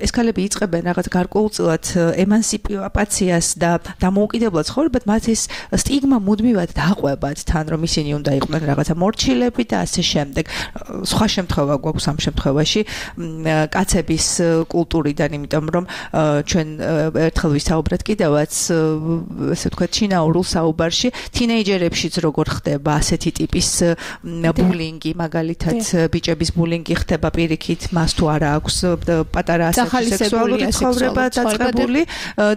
ეს ქალები იწყებენ რაღაც გარკვეულწილად ემანსიპაციას და დამოუკიდებლად ცხოვრებად, მათ ეს სტიგმა მუდმივად დაყვებათ თან, რომ ისინი უნდა იყვნენ რაღაცა მორჩილები და ასე შემდეგ. სხვა შემთხვევა გვაქვს ამ შემთხვევაში კაცების კულტურიდან, იმიტომ რომ ჩვენ ერთხელ ვისაუბრეთ კიდევაც ესე ვთქვათ ჩინაურულ საუბარში თინეიჯერებშიც როგორ ხდება ასეთი ტიპის ბულინგი, მაგალითად ბიჭების ბულინგი ხდება პირიქით, მას თუ არა აქვს პატარა ასაკში სექსუალური ცხოვრება დაწყებული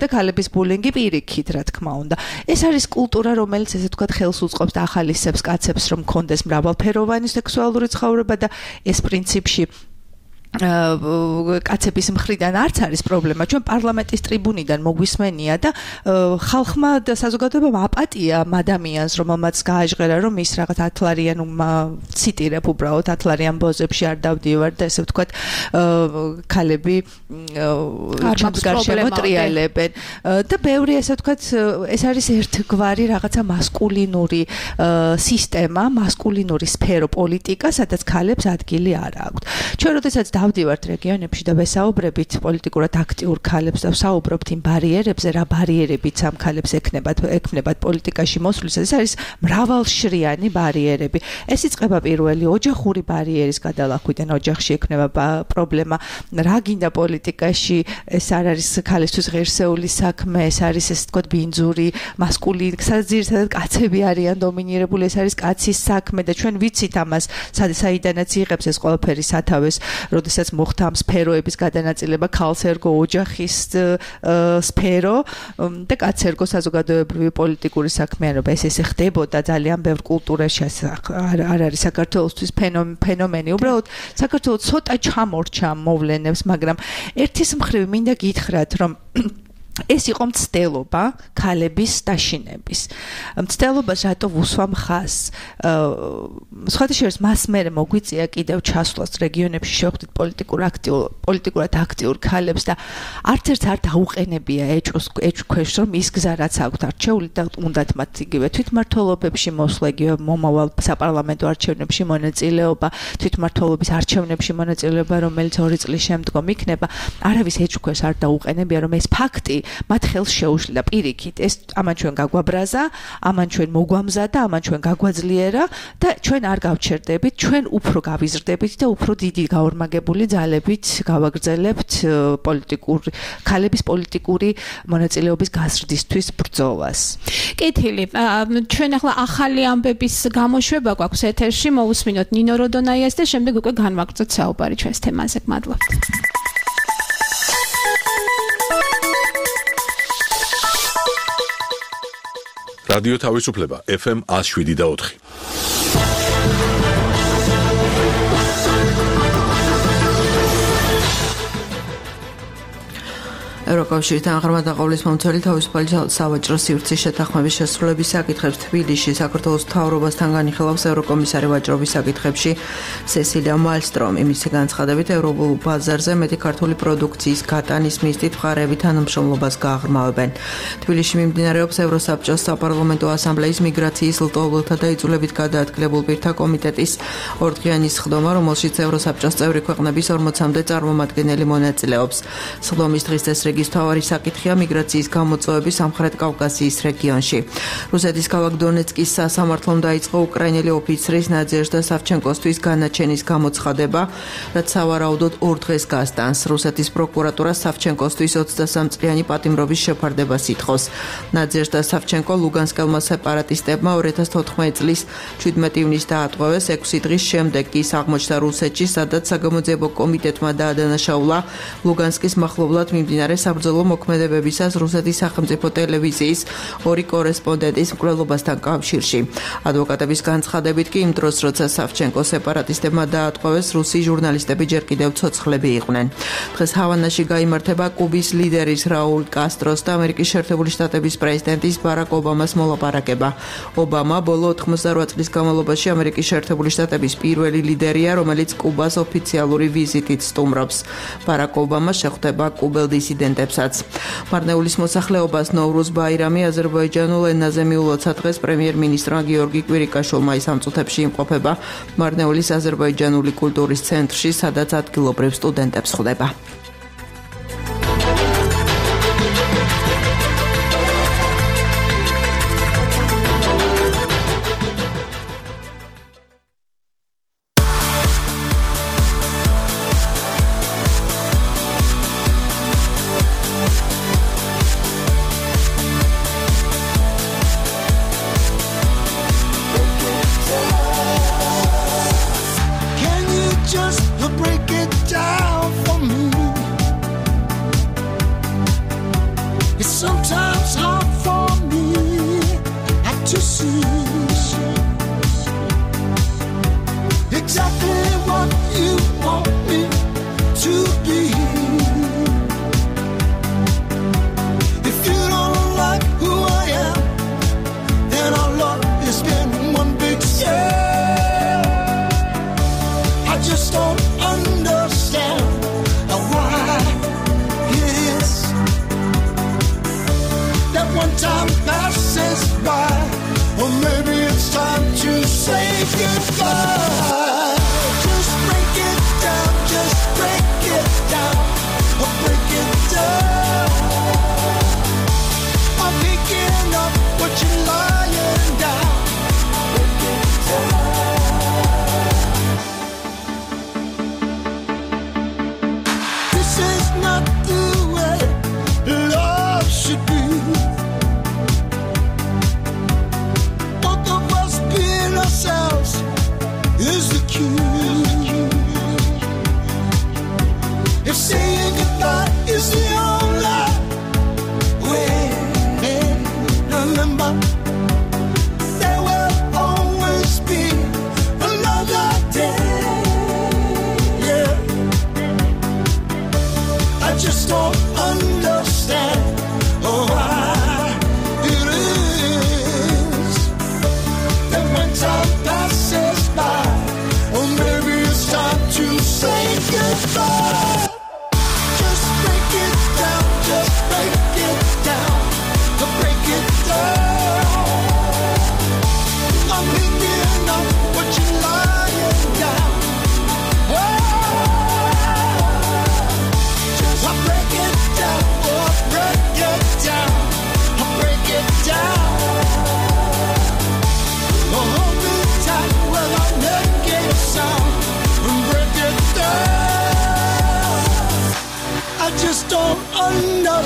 და ქალების ბულინგი პირიქით, რა თქმა უნდა. ეს არის კულტურა, რომელიც ესე ვთქვათ ხელს უწყობს და ახალისებს კაცებს, რომ კონდეს მრავალფეროვანი სექსუალური ცხოვრება და ეს პრინციპში კაცების მხრიდან არც არის პრობლემა. ჩვენ პარლამენტის ტრიბუნიდან მოგვისმენია და ხალხმა და საზოგადოებამ აპატია ადამიანს, რომელმაც გააჟღერა, რომ ის რაღაც ათლარიან ციტირებ უბრალოდ ათლარიან ბოზებში არ დავდივარ და ესე ვთქვათ ქალები ჩემს გარშემო ტრიალებენ და ბევრი ესე ვთქვათ ეს არის ერთგვარი რაღაცა მასკულინური სისტემა, მასკულინური სფერო პოლიტიკა, სადაც ქალებს ადგილი არ აქვთ. ჩვენ როდესაც დავდივართ რეგიონებში და ვესაუბრებით პოლიტიკურად აქტიურ ქალებს და ვსაუბრობთ იმ ბარიერებზე, რა ბარიერებიც ამ ქალებს ექნებათ პოლიტიკაში მოსვლისას, ეს არის მრავალშრიანი ბარიერები. ეს იწყება პირველი ოჯახური ბარიერის გადალახვიდან, ოჯახში ექნება პრობლემა, რა გინდა პოლიტიკაში, ეს არ არის ქალისთვის ღირსეული საქმე, ეს არის ესე ვთქვათ ბინძური, მასკულინი, საძირთადად კაცები არიან დომინირებული, ეს არის კაცის საქმე და ჩვენ ვიცით ამას, საიდანაც იღებს ეს ყველაფერი სათავეს, როდესაც მოხდა ამ სფეროების გადანაწილება, ქალს ერგო ოჯახის სფერო და კაცს ერგო საზოგადოებრივი პოლიტიკური საქმიანობა. ესე ხდებოდა ძალიან ბევრ კულტურაში, არ არის საქართველოსთვის ფენომენი. უბრალოდ საქართველოს ცოტა ჩამორჩა მოვლენებს, მაგრამ ერთის მხრივ მინდა გითხრათ, რომ ეს იყო მცდელობა ქალების დაშინების. მცდელობას რატო ვუსვამ ხაზს? სხვათა შორის მას მერე მოგვიწია კიდევ ჩასვლას რეგიონებში შევხვდით პოლიტიკურად აქტიურ ქალებს და არც ერთ არ დაუყენებია ეჭვქვეშ რომ ის გზა რაც აქვთ არჩეული და უნდათ მათ იგივე თვითმმართველობებში მოსვლა, იგივე მომავალ საპარლამენტო არჩევნებში მონაწილეობა, თვითმმართველობის არჩევნებში მონაწილეობა, რომელიც 2 წლის შემდგომ იქნება, არავის ეჭვქვეშ არ დაუყენებია რომ ეს ფაქტი მათ ხელს შეუშლიდა პირიქით. ეს ამან ჩვენ გაგვაბრაზა, ამან ჩვენ მოგვამზადა, ამან ჩვენ გაგვაძლიერა და ჩვენ არ გავჩერდებით, ჩვენ უფრო გავიზრდებით და უფრო დიდი გაორმაგებული ძალებით გავაგრძელებთ ქალების პოლიტიკური მონაწილეობის გაზრდისთვის ბრძოლას. კითილი, ჩვენ ახლა ახალი ამბების გამოშვება გვაქვს ეთერში, მოусმინოთ ნინო როდონაიას და შემდეგ უკვე განვაგრძოთ საუბარი ჩვენს თემაზე. მადლობთ. რადიო თავისუფლება FM 107.4. ევროკავშირთან ღრმადაყოლის მომცველი თავისუფალი სავაჭრო სივრცის შეთანხმების შესრულების საკითხებს თბილისში საქართველოს მთავრობასთან განიხილავს ევროკომისარი ვაჭრობის საკითხებში სესილია მალსტრომი. მისი განცხადებით ევროპულ ბაზარზე მეტი ქართული პროდუქციის გატანის მიზნით მხარეები თანამშრომლობას გააღრმავებენ. თბილისში მიმდინარეობს ევროსაბჭოს საპარლამენტო ასამბლეის მიგრაციის ლტოლვილთა და იძულებით გადაადგილებულ პირთა კომიტეტის ორდღიანი სხდომა, რომელშიც ევროსაბჭოს წევრი ქვეყნების 40-მდე წარმომადგენელი მონაწილეობს. სხდომის დღის წესრიგი მთავარი საკითხია მიგრაციის გამოწვევები სამხრეთ კავკასიის რეგიონში. რუსეთის ქალაქ დონეცკის სასამართლომ დაიწყო უკრაინელი ოფიცრის ნადეჟდა სავჩენკოსთვის განაჩენის გამოცხადება, რაც სავარაუდოდ 2 დღეს გასტანს. რუსეთის პროკურატურა სავჩენკოსთვის 23 წლიანი პატიმრობის შეფარდებას ითხოვს. ნადეჟდა სავჩენკო ლუგანსკელმა სეპარატისტებმა 2014 წლის 17 ივნისს დაატყვევეს. 6 დღის შემდეგ კი ის აღმოჩნდა რუსეთში, სადაც საგამოძიებო კომიტეტმა დაადანაშაულა ლუგანსკის მახლობლად მიმდინარე საბრძოლო მოქმედებებისას რუსეთის სახელმწიფო ტელევიზიის 2 კორესპონდენტის მკვლელობასთან კავშირში. ადვოკატების განცხადებით კი იმ დროს, როცა სავჩენკო სეპარატისტებმა დაატყვევეს, რუსი ჟურნალისტები ჯერ კიდევ ცოცხლები იყვნენ. დღეს ჰავანაში გაიმართება კუბის ლიდერის რაულ კასტროს და ამერიკის შეერთებული შტატების პრეზიდენტის ბარაკ ობამას მოლაპარაკება. ობამა ბოლო 88 წლის განმავლობაში ამერიკის შეერთებული შტატების პირველი ლიდერია, რომელიც კუბას ოფიციალური ვიზიტით სტუმრობს. ბარაკ ობამა შეხვდება კუბელ დისიდენტებსაც. მარნეულის მოსახლეობას ნოვრუზ ბაირამი აზერბაიჯანულ ენაზე მიულოცა დღეს პრემიერ-მინისტრმა გიორგი კვირიკაშვილმა ის ამ წუთებში იმყოფება მარნეულის აზერბაიჯანული კულტურის ცენტრში, სადაც ადგილობრივ სტუდენტებს ხვდება. Just break it down for me.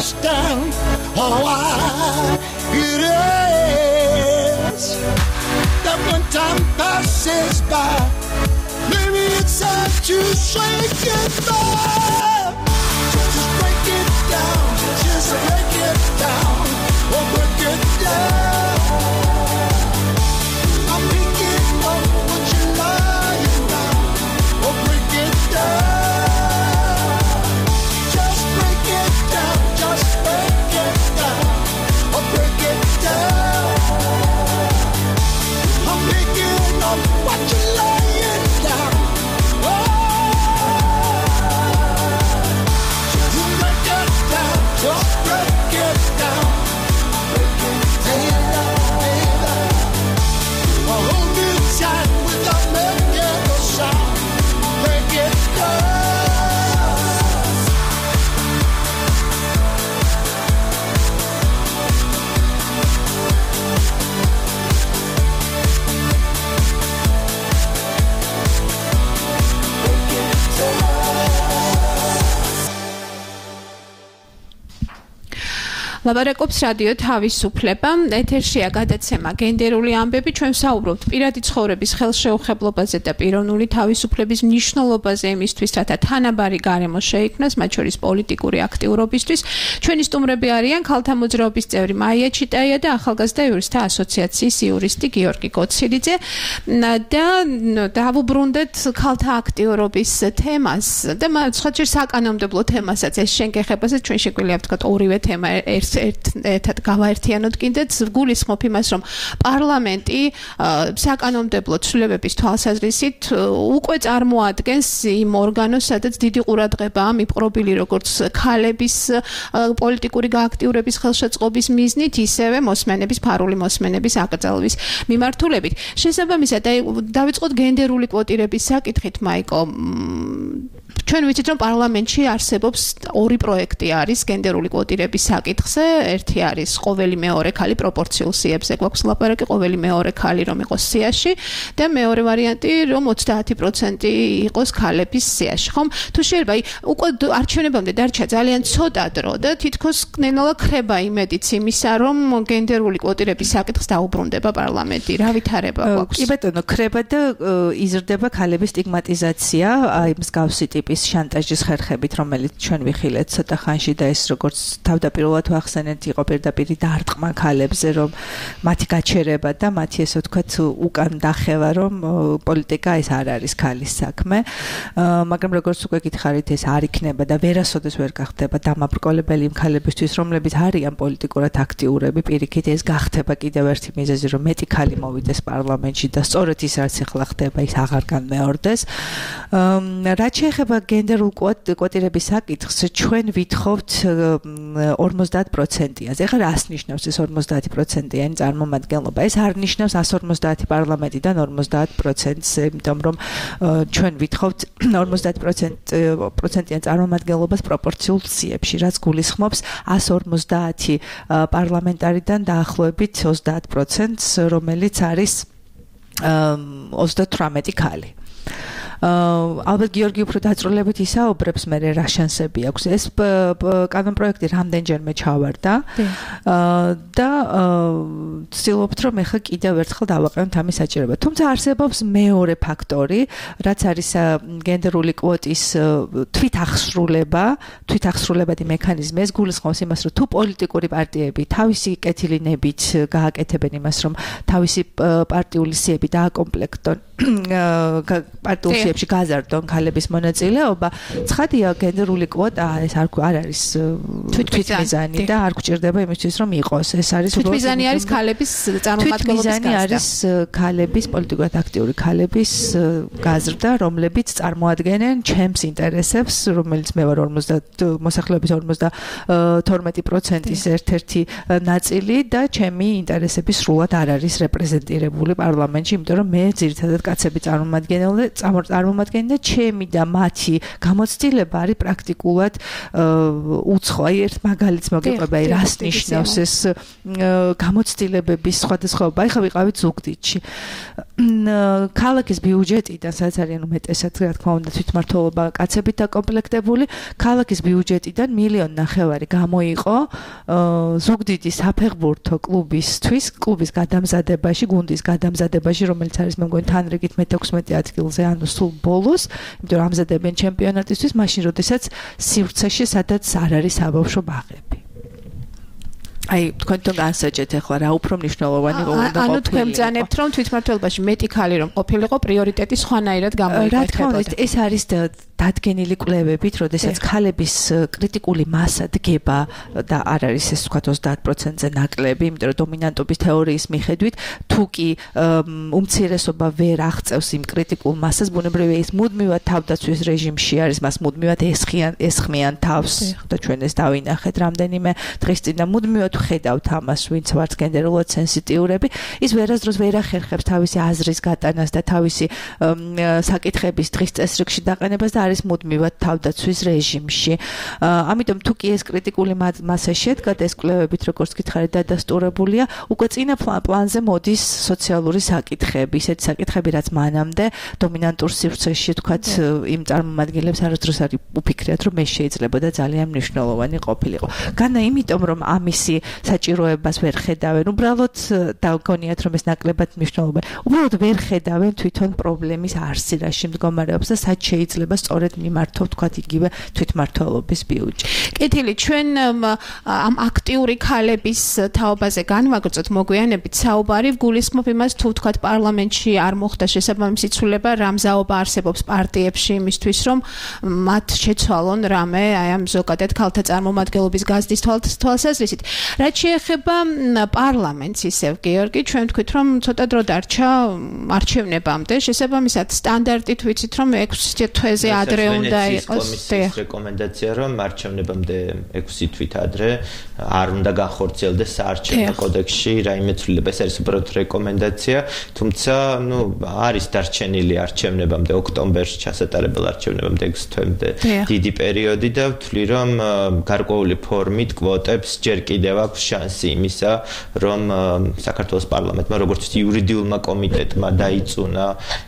understand why it is that when time passes by, maybe it's time to shake it back. Just break it down, just break it down, or break it down. I'm picking up what you're lying down, or break it down. Just break it down, just break it down, or break it down. I'm picking up what you're lying down. Just break it down, just break it down. Break it down, baby. Hold me tight without making a sound. Break it down. ლაპარაკობს რადიო თავისუფლება. ეთერშია გადაცემა გენდერული ამბები. ჩვენ ვსაუბრობთ პირადი ცხოვრების ხელშეუხებლობაზე და პიროვნული თავისუფლების მნიშვნელობაზე იმისთვის, რათა თანაბარი გარემო შეიქმნას, მათ შორის პოლიტიკური აქტიურობისთვის. ჩვენი სტუმრები არიან ქალთა მოძრაობის წევრი მაია ჩიტაია და ახალგაზრდა იურისტთა ასოციაციის იურისტი გიორგი გოცილიძე. და დავუბრუნდეთ ქალთა აქტიურობის თემას და სხვაჯერ საკანონმდებლო თემასაც ეს შენგეხებაზე ჩვენ შეგვიძლია ვთქვათ ორივე თემა ერთად გავაერთიანოთ კიდეც გულისხმობ იმას რომ პარლამენტი საკანონმდებლო ცვლილებების თვალსაზრისით უკვე წარმოადგენს იმ ორგანოს სადაც დიდი ყურადღებაა მიპყრობილი როგორც ქალების პოლიტიკური გააქტიურების ხელშეწყობის მიზნით ისევე მოსმენების ფარული მოსმენების აკრძალვის მიმართულებით შესაბამისად დავიწყოთ გენდერული კვოტირების საკითხით მაიკო ჩვენ ვიცით რომ პარლამენტში არსებობს ორი პროექტი არის გენდერული კვოტირების საკითხზე ერთი არის ყოველი მეორე ქალი პროპორციულ სიებზე გვაქვს ლაპარაკი ყოველი მეორე ქალი რომ იყოს სიაში და მეორე ვარიანტი რომ 30% იყოს ქალების სიაში ხომ თუ შეიძლება უკვე არჩევნებამდე დარჩა ძალიან ცოტა დრო და თითქოს ნელა ხრება იმედიც იმისა რომ გენდერული კვოტირების საკითხს დაუბრუნდება პარლამენტი რა ვითარება გვაქვს კი ბატონო ხრება და იზრდება ქალების სტიგმატიზაცია აი მსგავსი ტიპის შანტაჟის ხერხებით რომელიც ჩვენ ვიხილეთ ცოტა ხანში და ეს როგორც თავდაპირველად ვახსენეთ იყო პირდაპირ დარტყმა ქალებზე რომ მათი გაჩერება და მათი ესე ვთქვათ უკან დახევა რომ პოლიტიკა ეს არ არის ქალის საქმე მაგრამ როგორც უკვე გითხარით ეს არ იქნება და ვერასოდეს ვერ გახდება დამაბრკოლებელი იმ ქალებისთვის რომლებიც არიან პოლიტიკურად აქტიურები პირიქით ეს გახდება კიდევ ერთი მიზეზი რომ მეტი ქალი მოვიდეს პარლამენტში და სწორედ ის რაც ახლა ხდება ის აღარ განმეორდეს რაც შეეხება გენდერულ კვოტირების საკითხს ჩვენ ვითხოვთ 50%-ას. ეხლა რას ნიშნავს ეს 50%-იანი წარმომადგენლობა? ეს არ ნიშნავს 150 პარლამენტიდან 50%-ს, იმიტომ რომ ჩვენ ვითხოვთ 50%-იან წარმომადგენლობას პროპორციულ სიებში, რაც გულისხმობს 150 პარლამენტარიდან დაახლოებით 30%-ს, რომელიც არის 38 ქალი. ალბათ გიორგი უფრო დაწვრილებით ისაუბრებს მე რა შანსები აქვს ეს კანონპროექტი რამდენჯერმე ჩავარდა და ვცდილობთ რომ ეხლა კიდევ ერთხელ დავაყენოთ ამის საჭიროება თუმცა არსებობს მეორე ფაქტორი რაც არის გენდერული კვოტის თვითახსრულებადი მექანიზმი ეს გულისხმობს იმას რომ თუ პოლიტიკური პარტიები თავისი კეთილინებით გააკეთებენ იმას რომ თავისი პარტიული სიები დააკომპლექტონ პარტიულ სიებში გაზარდონ ქალების მონაწილეობა ცხადია გენდერული კვოტა ეს არ არის თვითმიზანი და არ გვჭირდება იმისთვის რომ იყოს ეს არის თვითმიზანი არის ქალების წარმომადგენლობის გაზრდა არის ქალების პოლიტიკურად აქტიური ქალების გაზრდა რომლებიც წარმოადგენენ ჩემს ინტერესებს რომელიც მე ვარ 50 მოსახლეობის 52%-ის ერთ-ერთი ნაწილი და ჩემი ინტერესები სრულად არ არის რეპრეზენტირებული პარლამენტში იმიტომ რომ მე ძირითადად კაცები წარმომადგენელი და ჩემი და მათი გამოცდილება არის პრაქტიკულად უცხო. აი ერთ მაგალითს მოგიყვება, აი რას ნიშნავს ეს გამოცდილებების სხვადასხვაობა. აი ხა ვიყავით ზუგდიდში. ქალაქის ბიუჯეტიდან სადაც არიან უმეტესად რა თქმა უნდა თვითმმართველობა კაცებით დაკომპლექტებული, ქალაქის ბიუჯეტიდან 1.5 მილიონი გამოიყო ზუგდიდის საფეხბურთო კლუბის გადამზადებაში, გუნდის გადამზადებაში, რომელიც არის მე მგონი თანრიგით მე-16 ადგილზე, ანუ სულ ბოლოს, იმიტომ რომ ამზადებენ ჩემპიონატისთვის, მაშინ როდესაც სივრცეში სადაც არ არის საბავშვო ბაღები. აი თქვენთან განსაჯეთ ახლა რა უფრო მნიშვნელოვანი უნდა ყოფილიყო. ანუ თქვენ ბრძანებთ რომ თვითმმართველობაში მეტი ქალი რომ ყოფილიყო პრიორიტეტი სხვანაირად გამოიყენებოდა. რა თქმა უნდა ეს არის დადგენილი კვლევებით, როდესაც ქალების კრიტიკული მასა დგება და არ არის ეს თქვა 30%-ზე ნაკლები, იმიტომ რომ დომინანტობის თეორიის მიხედვით თუ კი უმცირესობა ვერ აღწევს იმ კრიტიკულ მასას, ბუნებრივია ის მუდმივად თავდაცვის რეჟიმში არის, მას მუდმივად ესხმიან თავს და ჩვენ ეს დავინახეთ რამდენიმე დღის წინ და მუდმივად ხედავთ ამას, ვინც ვართ გენდერულად სენსიტიურები, ის ვერასდროს ვერ ახერხებს თავისი აზრის გატანას და თავისი საკითხების დღის წესრიგში დაყენებას და არის მუდმივად თავდაცვის რეჟიმში. ამიტომ თუ კი ეს კრიტიკული მასა შედგა და ეს კვლევებით როგორც გითხარით დადასტურებულია, უკვე წინა პლანზე მოდის სოციალური საკითხები, ისეთი საკითხები, რაც მანამდე დომინანტურ სივრცეში თქვათ იმ წარმომადგენლებს არასდროს არ უფიქრიათ, რომ ეს შეიძლება და ძალიან მნიშვნელოვანი ყოფილიყო. განა იმიტომ რომ ამისი საჭიროებას ვერ ხედავენ, უბრალოდ დაგონიათ რომ ეს ნაკლებად მნიშვნელოვანი. უბრალოდ ვერ ხედავენ თვითონ პრობლემის არსი რაში მდგომარეობს და სად შეიძლება სწორედ მიმართოთ თქვათ იგივე თვითმმართველობის ბიუჯეტი. კეთილი, ჩვენ ამ აქტიური ქალების თაობაზე განვაგრძოთ მოგვიანებით საუბარი, გულისხმობ იმას თუ თქვათ პარლამენტში არ მოხდა შესაბამისი ცვლილება, რა მზაობა არსებობს პარტიებში იმისთვის, რომ მათ შეცვალონ რამე აი ამ ზოგადად ქალთა წარმომადგენლობის გაზრდის თვალსაზრისით. რაც შეეხება პარლამენტს ისევ გეორგი, ჩვენ ვთქვით, რომ ცოტა დრო დარჩა არჩევნებამდე, შესაბამისად სტანდარტით ვიცით, რომ 6 თვეზე ადრე უნდა იყოს. რეკომენდაცია რომ არჩევნებამდე 6 თვით ადრე არ უნდა განხორციელდეს საარჩევნო კოდექსში რაიმე ცვლილება. ეს არის უბრალოდ რეკომენდაცია, თუმცა არის დარჩენილი არჩევნებამდე ოქტომბერში ჩასატარებელ არჩევნებამდე 6 თვემდე დიდი პერიოდი და ვთვლი რომ გარკვეული ფორმით კვოტებს ჯერ კიდევ აქვს შანსი იმისა, რომ საქართველოს პარლამენტმა როგორც იურიდიულმა კომიტეტმა დაიწუნა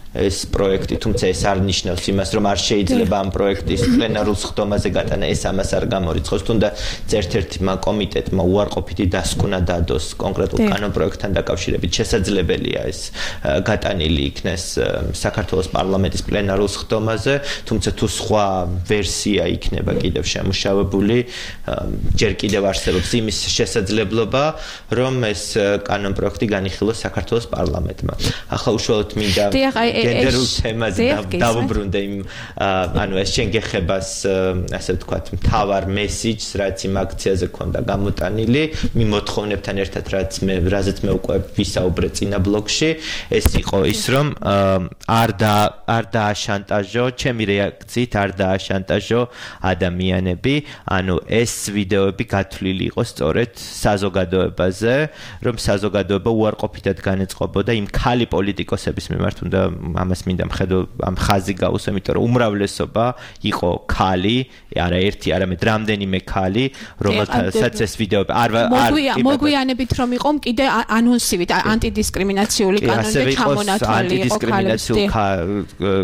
ეს პროექტი, თუმცა ეს არ ნიშნავს იმას, რომ არ შეიძლება ამ პროექტის პლენარულ სხდომაზე გატანა, ეს ამას არ გამორიცხავს. თუნდაც ერთ-ერთმა კომიტეტმა უარყოფითი დასკვნა დადოს კონკრეტულ კანონპროექტთან დაკავშირებით, შესაძლებელია ეს გატანილი იქნეს საქართველოს პარლამენტის პლენარულ სხდომაზე, თუმცა თუ სხვა ვერსია იქნება კიდევ შემუშავებული, ჯერ კიდევ არსებობს იმის შესაძლებლობა, რომ ეს კანონპროექტი განიხილოს საქართველოს პარლამენტმა. ახლა უშუალოდ მინდა გენდერულ თემაზე დავუბრუნდე იმ ანუ ეს შენგეხებას ასე ვთქვათ მთავარ მესიჯს, რაც იმ აქციაზე ქონდა გამოტანილი, მიმოთხოვნებთან ერთად რაზეც მე უკვე ვისაუბრე წინა ბლოკში, ეს იყო ის რომ არ დააშანტაჟო, ჩემი რეაქციით არ დააშანტაჟო ადამიანები, ანუ ეს ვიდეოები გათვლილი იყო სწორედ საზოგადოებაზე, რომ საზოგადოება უარყოფითად განეწყობოდა იმ ქალი პოლიტიკოსების მიმართ, უნდა ამას მინდა ამ ხაზი გაუსვა, იმიტომ რომ უმრავლესობა იყო ქალი, არა ერთი, არამედ რამდენიმე ქალი, რომელთაც ეს ვიდეოები არ მოგვიანებით რომ იყო კიდე ანონსივით ანტიდისკრიმინაციული კანონზე ჩამონათვალი იყო ანტიდისკრიმინაციულ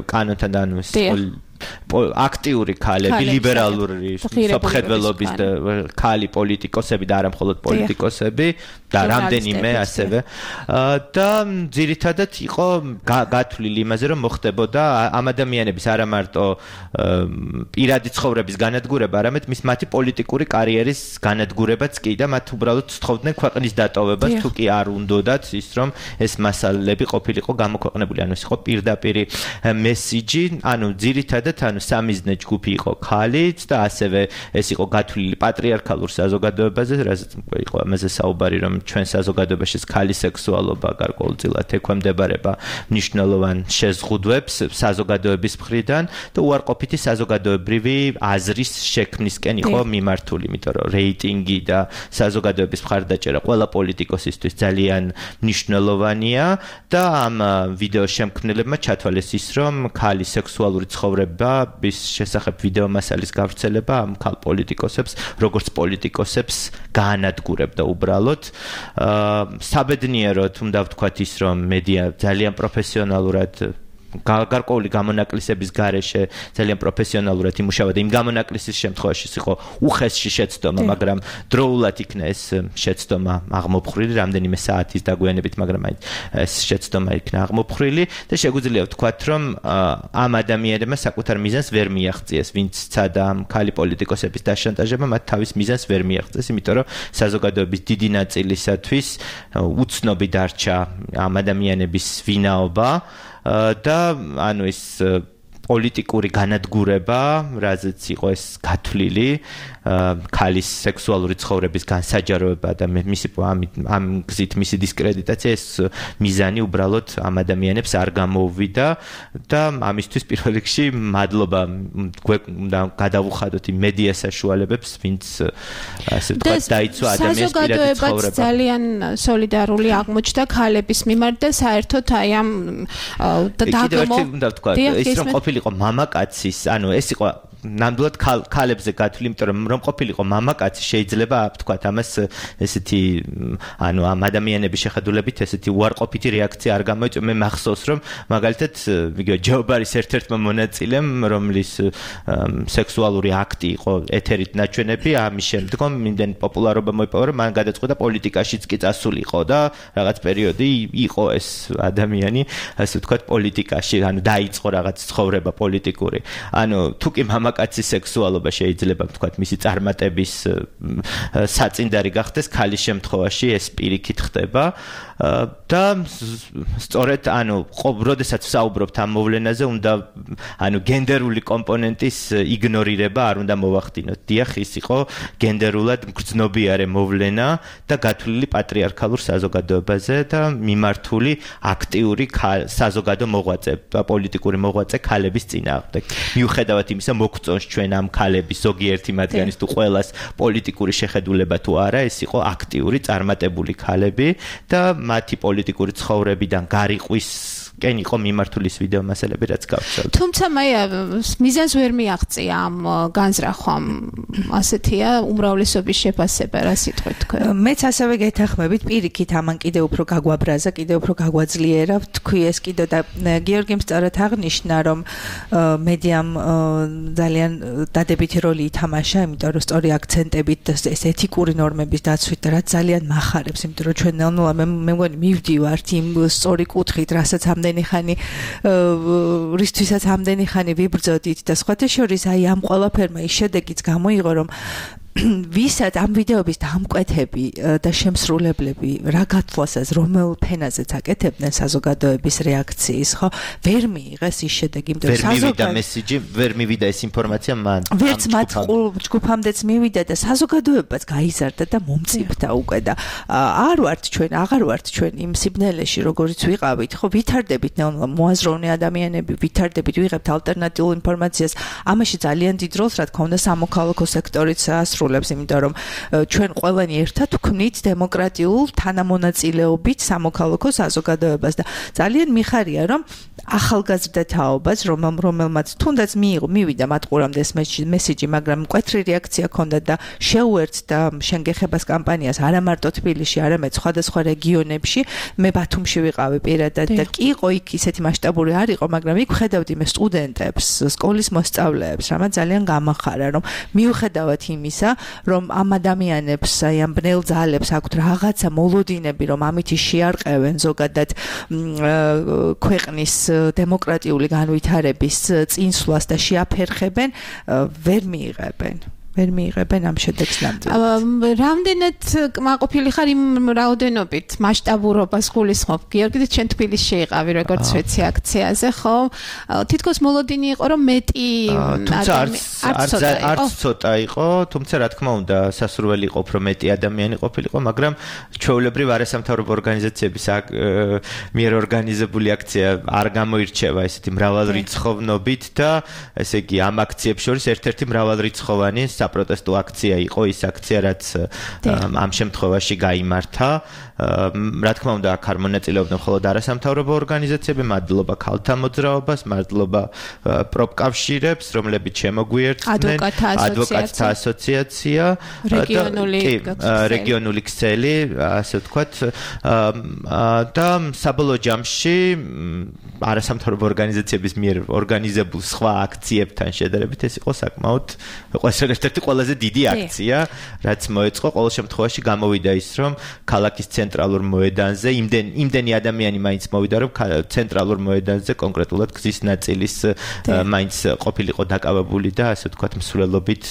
კანონთან ანუ აქტიური ქალები, ლიბერალური სამხედველობის ქალი პოლიტიკოსები და არა მხოლოდ პოლიტიკოსები და რამდენიმე ასევე და ძირითადად იყო გათვლილი იმაზე, რომ მოხდებოდა ამ ადამიანების არა მარტო პირადი ცხოვრების განადგურება, არამედ მათი პოლიტიკური კარიერის განადგურებაც კი და მათ უბრალოდ სთხოვდნენ ქვეყნის დატოვებას, თუ კი არ უნდოდათ ის, რომ ეს მასალები ყოფილიყო გამოქვეყნებული, ანუ ეს იყო პირდაპირი მესიჯი, ანუ ძირითადად ანუ სამიზნე ჯგუფი იყო ქალიც და ასევე ეს იყო გათვლილი პატრიარქალურ საზოგადოებაზე, რასაც იყო ამაზე საუბარი, რომ ჩვენ საზოგადოებაში ქალის სექსუალობა გარკვეულწილად ექვემდებარება მნიშვნელოვან შეზღუდვებს საზოგადოების მხრიდან და უარყოფითი საზოგადოებრივი აზრის შექმნისკენ იყო მიმართული, იმიტომ რომ რეიტინგი და საზოგადოების მხარდაჭერა ყველა პოლიტიკოსისთვის ძალიან მნიშვნელოვანია და ამ ვიდეოს შემქმნელებმა ჩათვალეს ის, რომ ქალის სექსუალური ცხოვრების შესახებ ვიდეო მასალის გავრცელება ამ ქალ პოლიტიკოსებს, როგორც პოლიტიკოსებს გაანადგურებდა უბრალოდ. საბედნიეროდ უნდა ვთქვათ ის, რომ მედია ძალიან პროფესიონალურად გარკვეული გამონაკლისების გარეშე ძალიან პროფესიონალურად იმუშავა და იმ გამონაკლისის შემთხვევაში იყო უხესში შეცდომა, მაგრამ დროულად იქნა ეს შეცდომა აღმოფხრილი, რამდენიმე საათის დაგვიანებით, მაგრამ ეს შეცდომა იქნა აღმოფხრილი და შეგვიძლია ვთქვათ, რომ ამ ადამიანებმა საკუთარ მიზანს ვერ მიაღწიეს, ვინც ცადა ამ ქალი პოლიტიკოსების დაშანტაჟება, მათ თავის მიზანს ვერ მიაღწიეს, იმიტომ რომ საზოგადოების დიდი ნაწილისათვის უცნობი დარჩა ამ ადამიანების ვინაობა და ანუ ეს პოლიტიკური განადგურება, რაზეც იყო ეს გათვლილი, ქალის სექსუალური ცხოვრების განსაჯაროება და მისი ამ გზით მისი დისკრედიტაცია, ეს მიზანი უბრალოდ ამ ადამიანებს არ გამოუვიდა და ამისთვის პირველ რიგში მადლობა უნდა გადავუხადოთ იმ მედია საშუალებებს, ვინც ასე ვთქვათ დაიცვა ადამიანის პირადი ცხოვრება. ძალიან სოლიდარული აღმოჩნდა ქალების მიმართ და საერთოდ აი ამ დაგმო უნდა ვთქვათ, ის რომ ყოფილიყო მამაკაცის, ანუ ეს იყო ნამდვილად ქალებზე გათვლილი, იმიტომ რომ ყოფილიყო მამაკაცი შეიძლება ვთქვათ ამას ესეთი ანუ ამ ადამიანების შეხედულებით ესეთი უარყოფითი რეაქცია არ გამოიწვია. მე მახსოვს რომ მაგალითად იგივე ჯეობარის ერთ-ერთმა მონაწილემ, რომლის სექსუალური აქტი იყო ეთერით ნაჩვენები, ამის შემდგომ იმდენ პოპულარობა მოიპოვა, რომ მან გადაწყვიტა პოლიტიკაშიც კი წასულიყო და რაღაც პერიოდი იყო ეს ადამიანი ასე ვთქვათ პოლიტიკაში, ანუ დაიწყო რაღაც ცხოვრება პოლიტიკური. ანუ თუ კი კაცის სექსუალობა შეიძლება ვთქვათ მისი წარმატების საწინდარი გახდეს, ქალის შემთხვევაში ეს პირიქით ხდება და სწორედ ანუ როდესაც საუბრობთ ამ მოვლენაზე, უნდა ანუ გენდერული კომპონენტის იგნორირება არ უნდა მოვახდინოთ. დიახ, ის იყო გენდერულად მგრძნობიარე მოვლენა და გათვლილი პატრიარქალურ საზოგადოებაზე და მიმართული აქტიური საზოგადო მოღვაწე და პოლიტიკური მოღვაწე ქალების წინააღმდეგ. მიუხედავად იმისა, მოგწონს ჩვენ ამ ქალების ზოგიერთი მათგანის თუ ყველას პოლიტიკური შეხედულება თუ არა, ეს იყო აქტიური წარმატებული ქალები და მათი პოლიტიკური ცხოვრებიდან გარიყვის კენ იყო მიმართული ეს ვიდეო მასალები, რაც გავცელთ. თუმცა მე მიზანს ვერ მიაღწია ამ განზრახვამ. ასეთია უმრავლესობის შეფასება, რა სიტყვით თქვენ? მეც ასევე გეთანხმებით, პირიქით ამან კიდევ უფრო გაგვაბრაზა, კიდევ უფრო გაგვაძლიერა, თქვი ეს კიდევ და გიორგიმ სწორად აღნიშნა, რომ მედიამ ძალიან დადებითი როლი ითამაშა, იმიტომ რომ სწორი აქცენტებით და ეს ეთიკური ნორმების დაცვით და რაც ძალიან მახარებს, იმიტომ რომ ჩვენ ნელ-ნელა მე მგონი მივდივართ იმ სწორი კუთხით, რასაც ამდენი ხანი რისთვისაც ამდენი ხანი ვიბრძოდით და სხვათა შორის აი ამ ყველაფერმა ის შედეგიც გამოიღო, რომ ვისაც ამ ვიდეოების დამკვეთები და შემსრულებლები რა გათვლასაც რომელ ფენაზეც აკეთებდნენ საზოგადოების რეაქციის, ხო, ვერ მიიღეს ის შედეგი, იმიტომ რომ საზოგადო მესიჯი ვერ მივიდა ეს ინფორმაცია მან. ვერც მათ ჯგუფამდეც მივიდა და საზოგადოებაც გაიზარდა და მომწიფდა უკვე და აღარ ვართ ჩვენ იმ სიბნელეში, როგორიც ვიყავით, ხო, ვითარდებით ნელ-ნელა მოაზროვნე ადამიანები, ვითარდებით, ვიღებთ ალტერნატიულ ინფორმაციას. ამაში ძალიან დიდ როლს, რა თქმა უნდა, სამოქალაქო სექტორიც იმიტომ რომ ჩვენ ყველანი ერთად ვქმნით დემოკრატიულ თანამონაწილეობით სამოქალაქო საზოგადოებას და ძალიან მიხარია, რომ ახალგაზრდა თაობას, რომელმაც თუნდაც მივიდა მათ ყურამდე ეს მესიჯი, მაგრამ მკვეთრი რეაქცია ჰქონდა და შეუერთდა შენგეხებას კამპანიას არა მარტო თბილისში, არამედ სხვადასხვა რეგიონებში. მე ბათუმში ვიყავი პირადად და კი იყო იქ ისეთი მასშტაბური არ იყო, მაგრამ იქ ვხედავდი მე სტუდენტებს, სკოლის მოსწავლეებს, რამაც ძალიან გამახარა, რომ მიუხედავად იმისა, რომ ამ ადამიანებს, აი ამ ბნელ ძალებს აქვთ რაღაცა მოლოდინები, რომ ამითი შეარყევენ ზოგადად ქვეყნის დემოკრატიული განვითარების წინსვლას და შეაფერხებენ, ვერ მიიღებენ. ვერ მიიღებენ ამ შედეგს ნამდვილად. რამდენად კმაყოფილი ხარ იმ რაოდენობით მასშტაბურობას გულისხმობ? გიორგი, ჩვენ თბილისში იყავი როგორც ვიცი აქციაზე, ხო? თითქოს მოლოდინი იყო რომ მეტი არც ცოტა იყო, თუმცა რა თქმა უნდა სასურველი იყო უფრო მეტი ადამიანი ყოფილიყო, მაგრამ ჩვეულებრივ არასამთავრობო ორგანიზაციების მიერ ორგანიზებული აქცია არ გამოირჩევა ესეთი მრავალრიცხოვნობით და ესე იგი ამ აქციებს შორის ერთ-ერთი მრავალრიცხოვანი საპროტესტო აქცია იყო ის აქცია რაც ამ შემთხვევაში გაიმართა. რა თქმა უნდა აქ არ მონაწილეობდნენ მხოლოდ არასამთავრობო ორგანიზაციები, მადლობა ქალთა მოძრაობას, მადლობა პროფკავშირებს, რომლებიც შემოგვიერთდნენ, ადვოკატთა ასოციაცია, რეგიონული ქსელი, ასე ვთქვათ, და საბოლოო ჯამში არასამთავრობო ორგანიზაციების მიერ ორგანიზებულ სხვა აქციებთან შედარებით ეს იყო საკმაოდ ერთ-ერთი ყველაზე დიდი აქცია, რაც მოეწყო. ყოველ შემთხვევაში გამოვიდა ის, რომ ქალაქის ცენტრალურ მოედანზე იმდენი ადამიანი მაინც მოვიდა, რომ ცენტრალურ მოედანზე კონკრეტულად გზის ნაწილის მაინც ყოფილიყო დაკავებული და ასე ვთქვათ მსვლელობით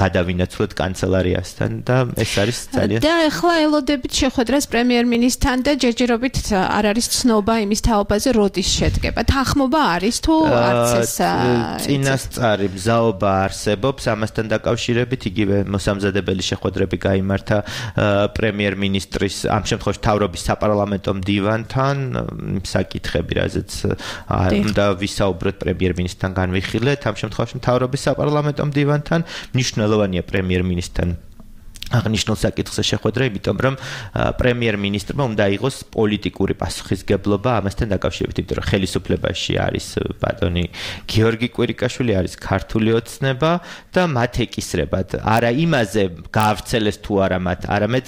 გადავინაცვლეთ კანცელარიასთან და ეს არის ძალიან და ახლა ელოდებით შეხვედრას პრემიერ-მინისტრთან და ჯერჯერობით არ არის ცნობა იმის თაობაზე როდის შედგება. თანხმობა არის თუ არც ეს წინასწარი მზაობა არსებობს ამასთან დაკავშირებით იგივე მოსამზადებელი შეხვედრები გაიმართა პრემიერ-მინისტრის ამ შემთხვევაში მთავრობის საპარლამენტო მდივანთან საკითხები რაზეც უნდა ვისაუბროთ პრემიერ-მინისტრთან განვიხილეთ ამ შემთხვევაში მთავრობის საპარლამენტო მდივანთან მნიშვნელოვანია პრემიერ-მინისტრთან აღნიშნულ საკითხზე შეხვედრა, იმიტომ რომ პრემიერ-მინისტრმა უნდა აიღოს პოლიტიკური პასუხისგებლობა ამასთან დაკავშირებით, იმიტომ რომ ხელისუფლებაში არის ბატონი გიორგი კვირიკაშვილი, არის ქართული ოცნება და მათ ეკისრებათ. არა იმაზე გაავრცელეს თუ არა მათ, არამედ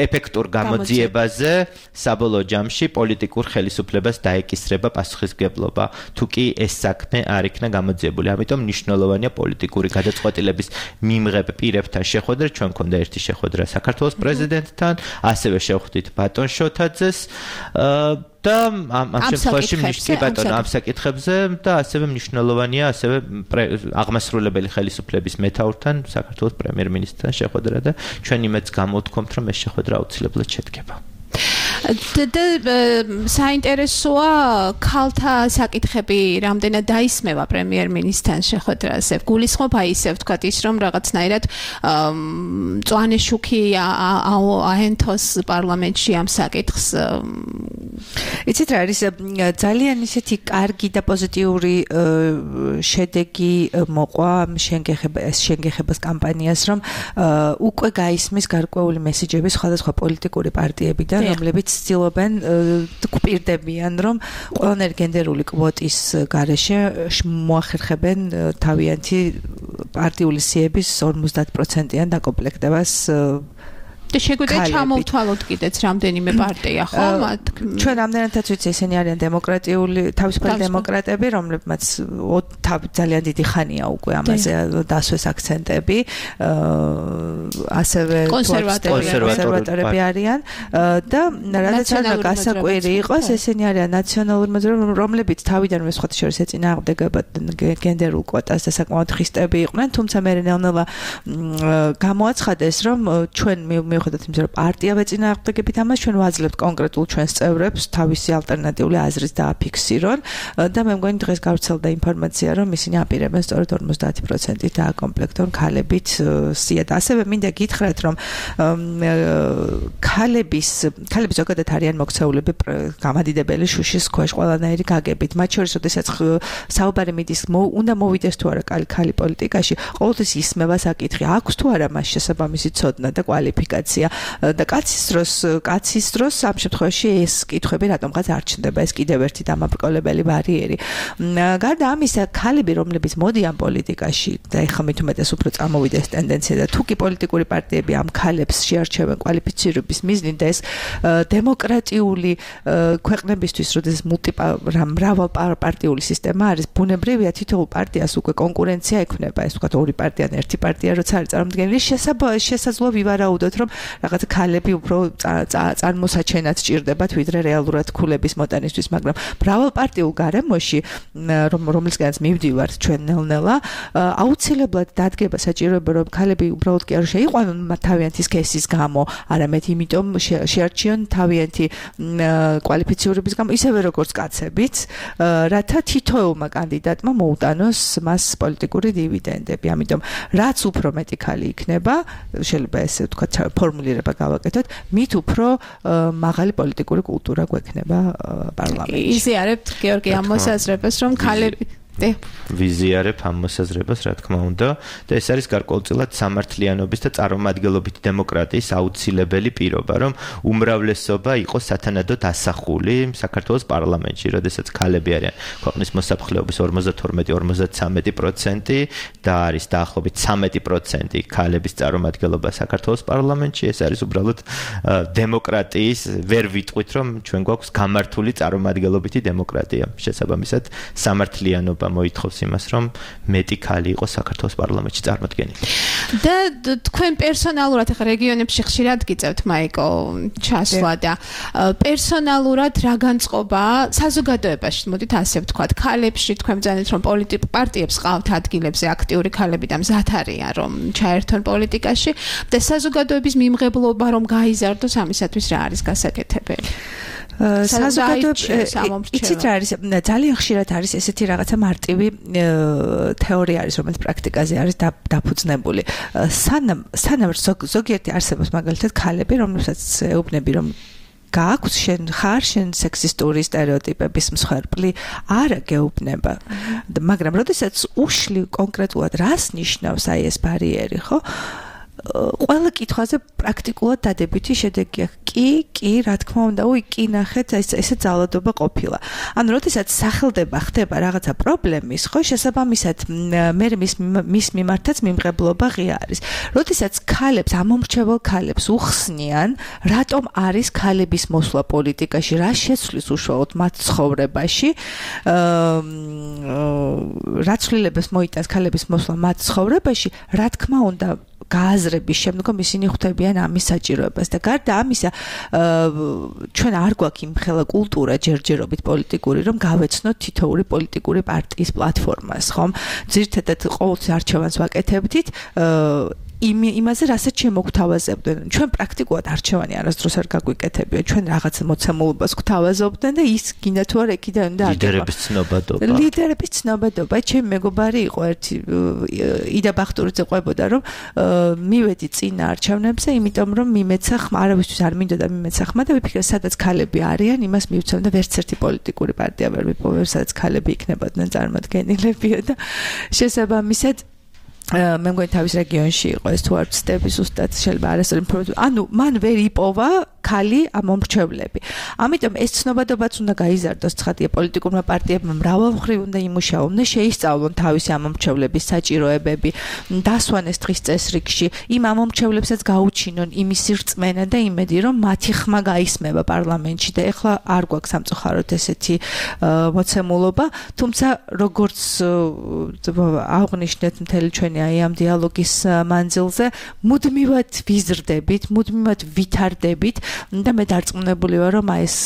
ეფექტურ გამოძიებაზე საბოლოო ჯამში პოლიტიკურ ხელისუფლებას დაეკისრება პასუხისგებლობა. თუ კი ეს საქმე არ იქნა გამოძიებული, ამიტომ მნიშვნელოვანია პოლიტიკური გადაწყვეტილების მიმღებ პირებთან შეხვედრა, ჩვენ და ერთი შეხვედრა საქართველოს პრეზიდენტთან, ასევე შევხვდით ბატონ შოთაძეს და ამ შემთხვევაში ამ საკითხებზე და ასევე მნიშვნელოვანია ასევე აღმასრულებელი ხელისუფლების მეთაურთან, საქართველოს პრემიერ-მინისტრთან შეხვედრა და ჩვენ იმედს გამოვთქვამთ, რომ ეს შეხვედრა აუცილებლად შედგება. და საინტერესოა ქალთა საკითხები რამდენად დაისმევა პრემიერ-მინისტრთან შეხვედრაზე. გულისხმობ აი ისე ვთქვათ ის რომ რაღაცნაირად მწვანე შუქი აენთოს პარლამენტში ამ საკითხს. იცით რა არის ძალიან ისეთი კარგი და პოზიტიური შედეგი მოყვა შენგეხებას კამპანიას, რომ უკვე გაისმის გარკვეული მესიჯები სხვადასხვა პოლიტიკური პარტიებიდან, რომლებიც ცდილობენ გვპირდებიან, რომ ყველანაირი გენდერული კვოტის გარეშე მოახერხებენ თავიანთი პარტიული სიების 50%-იან დაკომპლექტებას და შეგვიძლია ჩამოვთვალოთ კიდეც რამდენიმე პარტია, ხო? ჩვენ რამდენადაც ვიცი, ესენი არიან დემოკრატიული, თავისუფალი დემოკრატები, რომლებმაც ძალიან დიდი ხანია უკვე ამაზე დასვეს აქცენტები, ასევე კონსერვატორები არიან და რადგან არ გასაკვირი იყოს, ესენი არიან ნაციონალური მოძრაობა, რომლებიც თავიდანვე სხვათა შორის ეწინააღმდეგებოდნენ გენდერულ კვოტას და საკმაოდ ხისტები იყვნენ, თუმცა მე ნელ-ნელა გამოაცხადეს, რომ ჩვენ მიუხედავად იმისა, რომ პარტია ეწინააღმდეგებით ამას, ჩვენ ვაძლევთ კონკრეტულ ჩვენს წევრებს თავისი ალტერნატიული აზრის დააფიქსირონ და მე მგონი დღეს გავრცელდა ინფორმაცია, რომ ისინი აპირებენ სწორედ 50%-ით დააკომპლექტონ ქალებით სიად. ასევე მინდა გითხრათ, რომ ქალები ზოგადად არიან მოქცეულები გამადიდებელი შუშის ქვეშ ყველანაირი გაგებით. მათ შორის, როდესაც საუბარი მიდის, უნდა მოვიდეს თუ არა ქალი პოლიტიკაში, ყოველთვის ისმევა საკითხი, აქვს თუ არა მას შესაბამისი ცოდნა და კვალიფიკაცია. და კაცის დროს ამ შემთხვევაში ეს კითხვები რატომღაც არ ჩნდება, ეს კიდევ ერთი დამაბრკოლებელი ბარიერი. გარდა ამისა, ქალები, რომლებიც მოდიან პოლიტიკაში და ეხლა მით უმეტეს უფრო წამოვიდა ეს ტენდენცია და თუ კი პოლიტიკური პარტიები ამ ქალებს შეარჩევენ კვალიფიცირების მიზნით და ეს დემოკრატიული ქვეყნებისთვის, როდესაც მრავალპარტიული სისტემა არის, ბუნებრივია თითოეულ პარტიას უკვე კონკურენცია ექნება, ეს ვთქვათ ორი პარტია ან ერთი პარტია როცა არის წარმოდგენილი, შესაძლოა ვივარაუდოთ, რომ რაღაცა ქალები უფრო წარმოსაჩენად ჭირდებათ ვიდრე რეალურად ქულების მოტანისთვის, მაგრამ მრავალპარტიულ გარემოში, რომლისგანაც მივდივართ ჩვენ ნელ-ნელა, აუცილებლად დადგება საჭიროება, რომ ქალები უბრალოდ კი არ შეიყვანონ თავიანთი სქესის გამო, არამედ იმიტომ შეარჩიონ თავიანთი კვალიფიციურების გამო, ისევე როგორც კაცებიც, რათა თითოეულმა კანდიდატმა მოუტანოს მას პოლიტიკური დივიდენდები. ამიტომ რაც უფრო მეტი ქალი იქნება, შეიძლება ესე ვთქვათ ფორმულირება გავაკეთოთ, მით უფრო მაღალი პოლიტიკური კულტურა გვექნება პარლამენტში. იზიარებთ გიორგი ამ მოსაზრებას, რომ ქალები ვიზიარებ ამ მოსაზრებას, რა თქმა უნდა, და ეს არის გარკვეულწილად სამართლიანობის და წარმომადგენლობითი დემოკრატიის აუცილებელი პირობა, რომ უმრავლესობა იყოს სათანადოდ ასახული საქართველოს პარლამენტში, როდესაც ქალები არიან ქვეყნის მოსაფრთხეობის 52-53% და არის დაახლოებით 13% ქალების წარმომადგენლობა საქართველოს პარლამენტში, ეს არის უბრალოდ დემოკრატიის, ვერ ვიტყვით, რომ ჩვენ გვაქვს გამართული წარმომადგენლობითი დემოკრატია. შესაბამისად, სამართლიანობა მოითხოვს იმას, რომ მეტი ქალი იყოს საქართველოს პარლამენტში წარმოდგენილი. და თქვენ პერსონალურად ახლა რეგიონებში ხშირად გიწევთ მაიკო ჩასვლა და პერსონალურად რა განწყობა საზოგადოებაში, მოდით ასე ვთქვათ, ქალებში თქვენ ბრძანეთ, რომ პოლიტიკურ პარტიებს ყავთ ადგილებზე აქტიური ქალები და მზად არიან, რომ ჩაერთონ პოლიტიკაში და საზოგადოების მიმღებლობა რომ გაიზარდოს, ამისათვის რა არის გასაკეთებელი? იცით რა არის, ძალიან ხშირად არის ესეთი რაღაცა მარტივი თეორია არის, რომელიც პრაქტიკაზე არის დაფუძნებული. სანამ ზოგიერთი არსებობს მაგალითად ქალები, რომლებსაც ეუბნები, რომ გააქვს შენ სექსისტური სტერეოტიპების მსხვერპლი, არა გეუბნება. მაგრამ როდესაც უშლი კონკრეტულად რას ნიშნავს აი ეს ბარიერი, ხო? ყველა კითხვაზე პრაქტიკულად დადებითი შედეგი აქვს. კი, რა თქმა უნდა, კი ნახეთ, ესე ძალადობა ყოფილა. ანუ როდესაც ხდება რაღაცა პრობლემის, ხო, შესაბამისად მე მის მიმართაც მიმღებლობა ღია არის. როდესაც ქალებს, ამომრჩეველ ქალებს უხსნიან, რატომ არის ქალების მოსვლა პოლიტიკაში, რა შეცვლის უშუალოდ მათ ცხოვრებაში, რა ცვლილებას მოიტანს ქალების მოსვლა მათ ცხოვრებაში, რა თქმა უნდა გააზრების შემდგომ ისინი ხვდებიან ამის საჭიროებას და გარდა ამისა ჩვენ არ გვაქვს იმხელა კულტურა ჯერჯერობით პოლიტიკური, რომ გავეცნოთ თითოეული პოლიტიკური პარტიის პლატფორმას, ხომ? ძირითადად ყოველთვის არჩევანს ვაკეთებდით იმაზე, რასაც შემოგთავაზებდნენ. ჩვენ პრაქტიკულად არჩევანი არასდროს არ გაგვიკეთებია. ჩვენ რაღაც მოცემულობას გვთავაზობდნენ და ის გინდა თუ არა იქიდან უნდა აღება. ლიდერების ცნობადობა. ჩემი მეგობარი იყო ერთი იდა ბახტურიძე ყვებოდა, რომ მივედი წინა არჩევნებზე, იმიტომ რომ მიმეცა ხმა, არავისთვის არ მინდოდა მიმეცა ხმა და ვიფიქრე, სადაც ქალები არიან, იმას მივცემ და ვერც ერთი პოლიტიკური პარტია ვერ ვიპოვე, სადაც ქალები იქნებოდნენ წარმოადგენილებია და შესაბამისად მე მგონი თავის რეგიონში იყო ეს თუ არ ვცდები ზუსტად შეიძლება არასწორი ინფორმაცია. ანუ მან ვერ იპოვა ქალი ამომრჩევლები. ამიტომ ეს ცნობადობაც უნდა გაიზარდოს, ცხადია, პოლიტიკურმა პარტიებმა მრავალმხრივ უნდა იმუშაონ, უნდა შეისწავლონ თავისი ამომრჩევლების საჭიროებები, დასვანეს დღის წესრიგში, იმ ამომრჩევლებსაც გაუჩინონ იმის რწმენა და იმედი, რომ მათი ხმა გაისმება პარლამენტში და ეხლა არ გვაქვს სამწუხაროდ ესეთი მოცემულობა, თუმცა როგორც აღნიშნეთ მთელი ჩვენი აი ამ დიალოგის მანძილზე, მუდმივად ვიზრდებით, მუდმივად ვითარდებით და მე დარწმუნებული ვარ, რომ აი ეს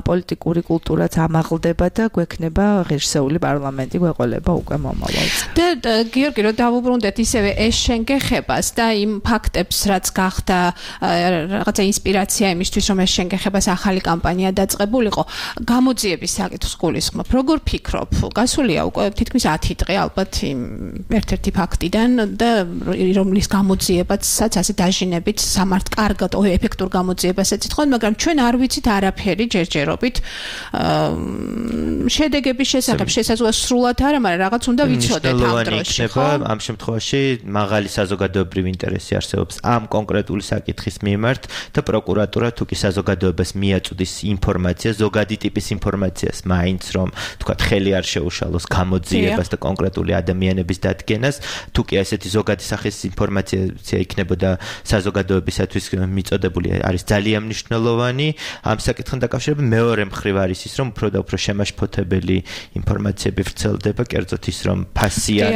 პოლიტიკური კულტურაც ამაღლდება და გვექნება ღირსეული პარლამენტი გვეყოლება უკვე მომავალს. და გიორგი, რომ დავუბრუნდეთ ისევე ეს შენგეხებას და იმ ფაქტებს, რაც გახდა რაღაცა ინსპირაცია იმისთვის, რომ ეს შენგეხებას ახალი კამპანია დაწყებულიყო, გამოძიების საკითხს გულისხმობ. როგორ ფიქრობ? გასულია უკვე თითქმის 10 დღე ალბათ იმ ერთ-ერთი ფაქტიდან და რომლის გამოძიებაცაც ასე დაჟინებით კარგად ეფექტურ გამოძიებასაც ეთქვათ, მაგრამ ჩვენ არ ვიცით არაფერი ჯერჯერობით შედეგების შესახებ, შესაძლოა სრულად არა, მაგრამ რაღაც უნდა ვიცოდეთ ამ დროში, ხო? ამ შემთხვევაში მაღალი საზოგადოებრივი ინტერესი არსებობს ამ კონკრეტული საკითხის მიმართ და პროკურატურა თუ კი საზოგადოებას მიაწვდის ინფორმაციას, ზოგადი ტიპის ინფორმაციას, მაინც რომ თქვა ხელი არ შეუშალოს გამოძიებას და კონკრეტული ადამიანების დადგენას, თუ კი ესეთი ზოგადი სახის ინფორმაცია იქნებოდა საზოგადოებისათვის მიწოდებული, არის ძალიან ძალიან მნიშვნელოვანი ამ საკითხთან დაკავშირებით. მეორე მხრივ არის ის, რომ უფრო და უფრო შემაშფოთებელი ინფორმაციები ვრცელდება, კერძოდ ის, რომ ფასიან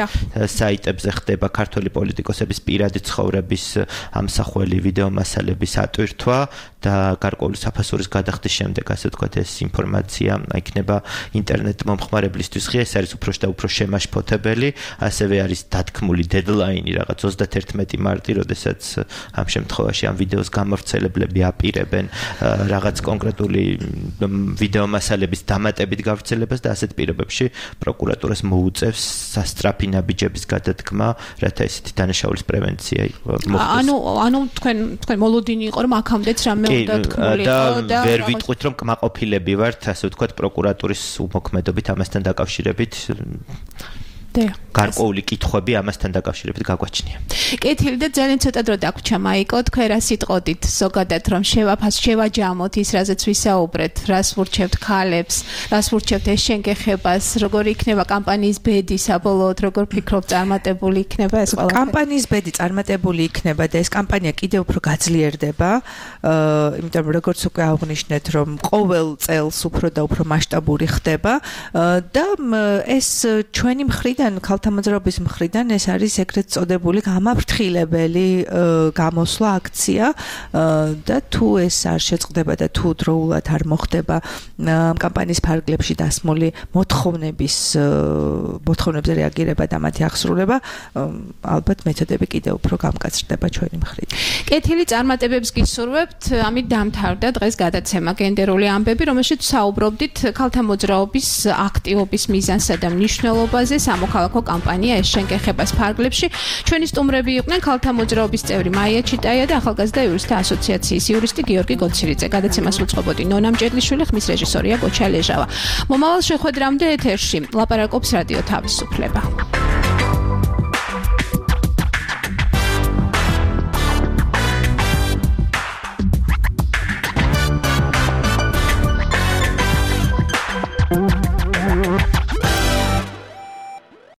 საიტებზე ხდება ქართული პოლიტიკოსების პირადი ცხოვრების ამსახველი ვიდეო მასალების ატვირთვა და გარკვეული საფასურის გადახდის შემდეგ, ასე ვთქვათ, ეს ინფორმაცია იქნება ინტერნეტ მომხმარებლისთვის ღია, ეს არის უფრო და უფრო შემაშფოთებელი, ასევე არის დათქმული დედლაინი რაღაც 31 მარტი, როდესაც ამ შემთხვევაში ამ ვიდეოს გამავრცელებლები აპირებენ რაღაც კონკრეტული ვიდეო მასალების დამატებით გავრცელებას და ასეთ პირობებში პროკურატურას მოუწევს სასწრაფი ნაბიჯების გადადგმა, რათა ესეთი დანაშაულის პრევენცია მოხდეს. ანუ თქვენ მოლოდინი იყო, რომ აქამდეც რამე უნდა თქმულიყო და ვერ ვიტყვით, რომ კმაყოფილები ვართ, ასე ვთქვათ, პროკურატურის უმოქმედობით ამასთან დაკავშირებით გარკვეული კითხვები ამასთან დაკავშირებით გაგვაჩნია. კეთილი და ძალიან ცოტა დრო დაგვრჩა მაიკო, თქვენ რა სიტყოდით ზოგადად რომ შევაჯამოთ ის, რაზეც ვისაუბრეთ, რას ვურჩევთ ქალებს, რას ვურჩევთ ეშენგეხებას, როგორი იქნება კამპანიის ბედი საბოლოოდ, როგორ ფიქრობთ წარმატებული იქნება ეს ყველაფერი? კამპანიის ბედი წარმატებული იქნება და ეს კამპანია კიდევ უფრო გაძლიერდება, იმიტომ რომ როგორც უკვე აღნიშნეთ, რომ ყოველ წელს უფრო და უფრო მასშტაბური ხდება და ეს ჩვენი მხრიდან ქალთა მოძრაობის მხრიდან ეს არის ეგრეთ წოდებული გამაფრთხილებელი გამოსვლა აქცია და თუ ეს არ შეწყდება და თუ დროულად არ მოხდება კამპანიის ფარგლებში დასმული მოთხოვნებზე რეაგირება და მათი აღსრულება, ალბათ მეთოდები კიდევ უფრო გამკაცრდება ჩვენი მხრიდან. კეთილი წარმატებებს გისურვებთ. ამით დამთავრდა დღეს გადაცემა გენდერული ამბები, რომელშიც საუბრობდით ქალთა მოძრაობის აქტივობის მიზანსა და მნიშვნელობაზე სამოქალაქო კამპანია ეშენგეხებას ფარგლებში. ჩვენი სტუმრები იყვნენ ქალთა მოძრაობის წევრი მაია ჩიტაია და ახალგაზრდა იურისტთა ასოციაციის იურისტი გიორგი გოცირიძე. გადაცემას უწყობოდი ნონა მჭედლიშვილი, ხმის რეჟისორია გოჩა ლეჟავა. მომავალ შეხვედრამდე ეთერში ლაპარაკობს რადიო თავისუფლება.